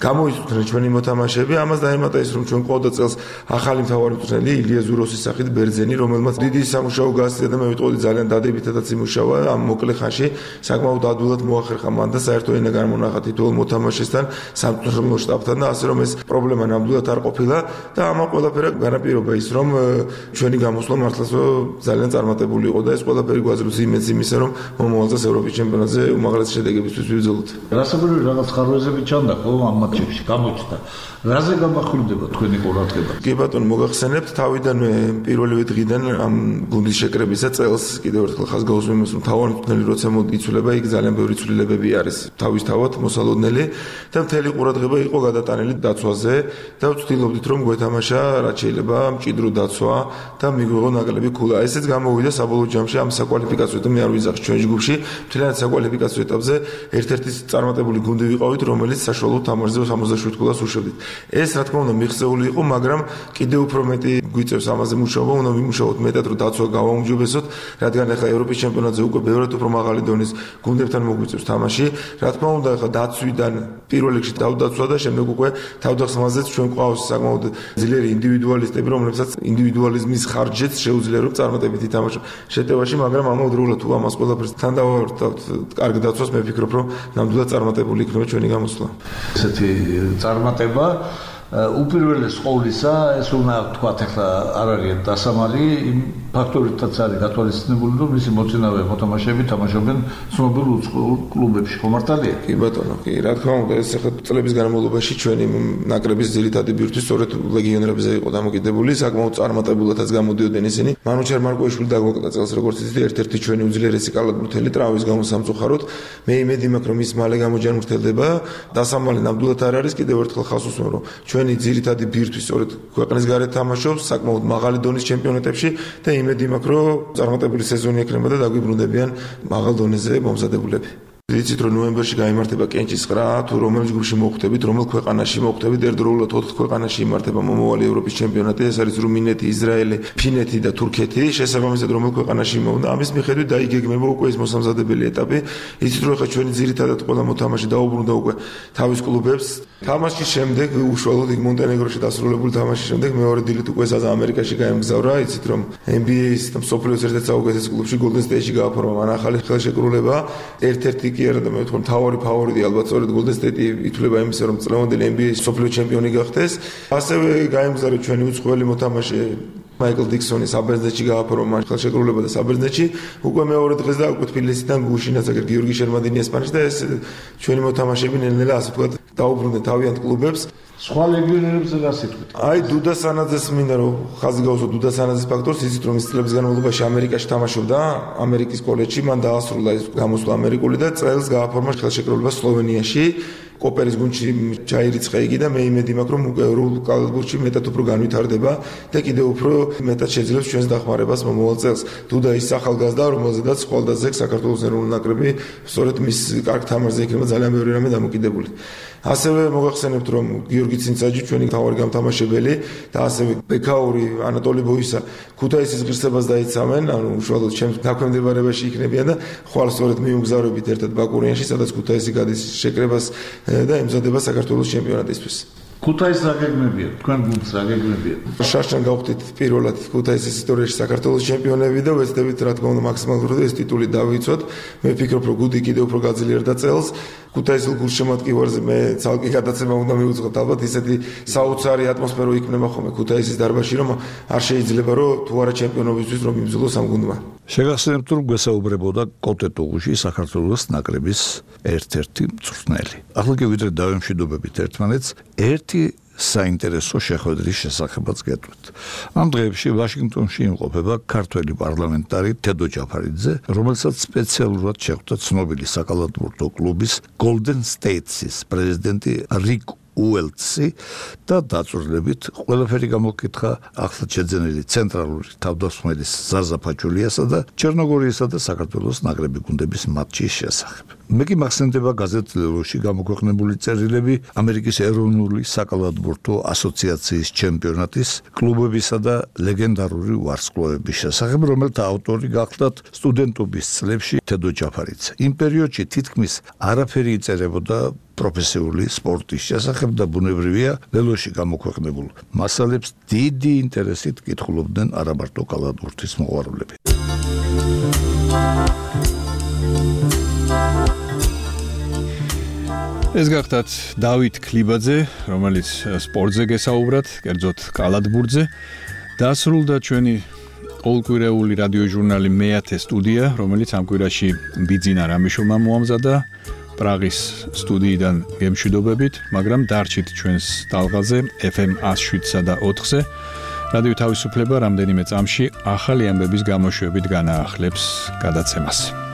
გამოიწვნენ ჩვენი მოთამაშეები, ამას დაემატა ის, რომ ჩვენ ყავდა წელს ახალი მთავარი მწვრთნელი ილია ზუროსის სახით ბერძენი, რომელმაც დიდი სამუშაო გაასწია და მე ვიტყოდი ძალიან დადებითადაც იმუშავა ამ მოკლე ხანში, საკმაოდ ადვილად მოახერხა მან და საერთო ენა გამონახა თითოეულ მოთამაშესთან, სამწვრთნელო შტაბთან და ასე რომ ეს პრობლემა ნამდვილად არ ყოფილა და ამან ყველაფერი განაპირობა ის, რომ ჩვენი გამოსვლა მართლაც ძალიან წარმატებული იყო და ეს ყველაფერი გვაძლევს იმედს იმისა, რომ მომავალ წელს ევროპის ჩემპიონატზე უმაღლესი შედეგებისთვის ვიბრძოლოთ. რასაკვირველია რაღაც ხარვეზები ჩანდა ხო ამ მატჩებში გამოჩნდა. რაზე გამახვილდება თქვენი ყურადღება? კი ბატონო, მოგახსენებთ თავიდანვე პირველივე დღიდან ამ გუნდის შეკრებისა წელს კიდევ ერთხელ ხაზს გაუსვამს, რომ თავარი მწვრთნელი როცა მოდიცვლება, იქ ძალიან ბევრი ცვლილებები არის თავისთავად მოსალოდნელი და მთელი ყურადღება იყო გადატანილი დაცვაზე და ვცდილობდით რომ გვეთამაშა რაც შეიძლება მჭიდრო დაცვა და მიგვიღო ნაკლები ქულა. ესეც გამოვიდა საბოლოო ჯამში ამ საკვალიფიკაციო და მე არ ვიზახ ჩვენ ჯგუფში მთლიანად საკვალიფიკაციო ეტაპზე ერთ-ერთი წარმატებული გუნდი ვიყავით, რომელიც საშუალო თამაშზე სამოცდაშვიდ ქულას უშვებდით. ეს რა თქმა უნდა მიღწეული იყო, მაგრამ კიდევ უფრო მეტი გვიწევს ამაზე მუშაობა, უნდა ვიმუშაოთ მეტად, რომ დაცვა გავაუმჯობესოთ, რადგან ახლა ევროპის ჩემპიონატზე უკვე ბევრად უფრო მაღალი დონის გუნდებთან მოგვიწევს თამაში. რა თქმა უნდა, ახლა დაცვიდან პირველ რიგში თავდაცვა და შემდეგ უკვე თავდასხმაზეც ჩვენ ყავს საკმაოდ ძლიერი ინდივიდუალისტები, რომლებსაც ინდივიდუალიზმის ხარჯზეც შეუძლია რომ წარმატებით ითამაშონ შეტევაში, მაგრამ ამავდროულად თუ ამას ყველაფერს თან დავართავთ კარგ დაცვას, მე ვფიქრობ, რომ ნამდვილად წარმატებული იქნება ჩვენი გამოსვლა. ესეთი წარმატება უპირველეს ყოვლისა ეს უნდა თქვათ ახლა არ არის დასამალი იმ ფაქტორითაც არის გათვალისწინებული, რომ მისი მოწინავე მოთამაშეები თამაშობენ ცნობილ უცხოურ კლუბებში, ხო მართალია? კი ბატონო, კი, რა თქმა უნდა, ეს ახლა წლების განმავლობაში ჩვენი ნაკრების ძირითადი ბირთვი სწორედ ლეგიონერებზე იყო დამოკიდებული, საკმაოდ წარმატებულადაც გამოდიოდნენ ისინი. მანუჩარ მარკოიშვილი დაგვაკეთა წელს, როგორც იცით, ერთ-ერთი ჩვენი უძლიერესი კალათბურთელი ტრავმის გამო სამწუხაროდ. მე იმედი მაქვს, რომ ის მალე გამოჯანმრთელდება. დასამალი ნამდვილად არ არის, კიდევ ერთხელ ხაზს უსვამ, რომ ჩვენი ძირითადი ბირთვი სწორედ ქვეყნის გარეთ თამაშობს საკმაოდ მაღალი დონის ჩემპიონატებში და იმედი მაქვს, რომ წარმატებული სეზონი ექნება და დაგვიბრუნდებიან მაღალ დონეზე მომზადებულები. იცით რომ ნოემბერში გაიმართება კენჭის ყრა, თუ რომელ ჯგუფში მოხვდებით, რომელ ქვეყანაში მოხვდებით, ერთდროულად ოთხ ქვეყანაში იმართება მომავალი ევროპის ჩემპიონატი, ეს არის რუმინეთი, ისრაელი, ფინეთი და თურქეთი, შესაბამისად რომელ ქვეყანაში მოვიდა, ამის მიხედვით დაიგეგმება უკვე ეს მოსამზადებელი ეტაპი. იცით რომ ახლა ჩვენი ძირითადად ყველა მოთამაშე დაუბრუნდა უკვე თავის კლუბებს. თამაშის შემდეგ უშუალოდ იქ მონტენეგროში დასრულებული თამაშის შემდეგ მეორე დილით უკვე საზა ამერიკაში გაემგზავრა. იცით რომ ენ ბი ეის და მსოფლიოს ერთ-ერთ საუკეთეს კლუბში Golden State-ში გააფორმა მან ახალი ხელშეკრულება, ერთ-ერთი კი არა და მე ვთქვი მთავარი ფავორიტი ალბათ სწორედ Golden State ითვლება იმისა, რომ წლევანდელი ენ ბი ეის მსოფლიო ჩემპიონი გახდეს. ასევე გაემგზავრა ჩვენი უცხოელი მოთამაშე მაიკლ დიქსონი საბერძნეთში გააფორმა ხელშეკრულება და საბერძნეთში უკვე მეორე დღეს და უკვე თბილისიდან გუშინაც აგერ გიორგი შერმადინი ესპანეთში და ეს ჩვენი მოთამაშეები ნელ-ნელა ასე ვთქვათ დაუბრუნდნენ თავიანთ კლუბებს. სხვა ლეგიონერებზე რა სიტყვით? აი დუდა სანაძეს მინდა რომ ხაზი გავუსვა დუდა სანაძეს ფაქტორს, იცით რომ ის წლების განმავლობაში ამერიკაში თამაშობდა, ამერიკის კოლეჯში, მან დაასრულა ის გამოსვლა ამერიკული და წელს გააფორმა ხელშეკრულება სლოვენიაში. კოპერის გუნდში ჩაირიცხა იგი და მე იმედი მაქვს რომ უკვე ევროპულ კალათბურთში მეტად უფრო განვითარდება და კიდევ უფრო მეტად შეძლებს ჩვენს დახმარებას მომავალ წელს. დუდა ის ახალგაზრდა, რომელზედაც ხვალდაზე საქართველოს ეროვნული ნაკრები სწორედ მის კარგ თამაშზე იქნება ძალიან ბევრი რამე დამოკიდებული. ასევე მოგახსენებთ რომ გიორგი ცინცაჯი ჩვენი მთავარი გამთამაშებელი და ასევე ბექაური, ანატოლი ბოისა ქუთაისის ღირსებას დაიცავენ, ანუ უშუალოდ ჩემს დაქვემდებარებაში იქნებიან და ხვალ სწორედ მიუმგზავრებით ერთად ბაკურიანში, სადაც ქუთაისი გადის შეკრებას და ემზადება საქართველოს ჩემპიონატისთვის. ქუთაისს რა გეგმებია? თქვენ გუნდს რა გეგმებია? შარშან გავხდით პირველად ქუთაისის ისტორიაში საქართველოს ჩემპიონები და ვეცდებით რა თქმა უნდა მაქსიმალურად ეს ტიტული დავიცვათ. მე ვფიქრობ რომ გუნდი კიდევ უფრო გაძლიერდა წელს. ქუთაისის გულშემატკივარზე მე ცალკე გადაცემა უნდა მივუძღოთ, ალბათ ისეთი საოცარი ატმოსფერო იქნება ხოლმე ქუთაისის დარბაზში, რომ არ შეიძლება რომ თუ არა ჩემპიონობისთვის რომ იმძულოს ამ გუნდმა. შეგახსენებთ რომ გვესაუბრებოდა კოტე ტუღუში საქართველოს ნაკრების ერთ-ერთი მწვრთნელი. ახლა კი ვიდრე დავემშვიდობებით ერთმანეთს, ერთი საინტერესო შეხვედრის შესახებაც გეტყვით. ამ დღეებში ვაშინგტონში იმყოფება ქართველი პარლამენტარი თედო ჯაფარიძე, რომელსაც სპეციალურად შეხვდა ცნობილი საკალათბურთო კლუბის Golden State-ის პრეზიდენტი რიკ უელცი და დაწვრილებით ყველაფერი გამოკითხა ახლა შეძენილი ცენტრალური თავდასხმელის ზაზა ფაჩულიასა და ჩერნოგორიისა და საქართველოს ნაკრები გუნდების მატჩის შესახებ. მე კი მახსენდება გაზეთ ლელოში გამოქვეყნებული წერილები ამერიკის ეროვნული საკალათბურთო ასოციაციის ჩემპიონატის კლუბებისა და ლეგენდარული ვარსკვლავების შესახებ, რომელთა ავტორი გახლდათ სტუდენტობის წლებში თედო ჯაფარიძე. იმ პერიოდში თითქმის არაფერი იწერებოდა პროფესიული სპორტის შესახებ და ბუნებრივია ლელოში გამოქვეყნებულ მასალებს დიდი ინტერესით კითხულობდნენ არა მარტო კალათბურთის მოყვარულები. ეს გახდათ დავით ქლიბაძე, რომელიც სპორტზე გესაუბრათ, კერძოდ კალათბურთზე. დასრულდა ჩვენი ყოველკვირეული რადიოჟურნალი მეათე სტუდია, რომელიც ამ კვირაში ბიძინა რამიშულმა მოამზადა პრაღის სტუდიიდან გემშვიდობებით, მაგრამ დარჩით ჩვენს ტალღაზე ეფ ემ one oh seven და ოთხზე. რადიო თავისუფლება რამდენიმე წამში ახალი ამბების გამოშვებით განაახლებს გადაცემას.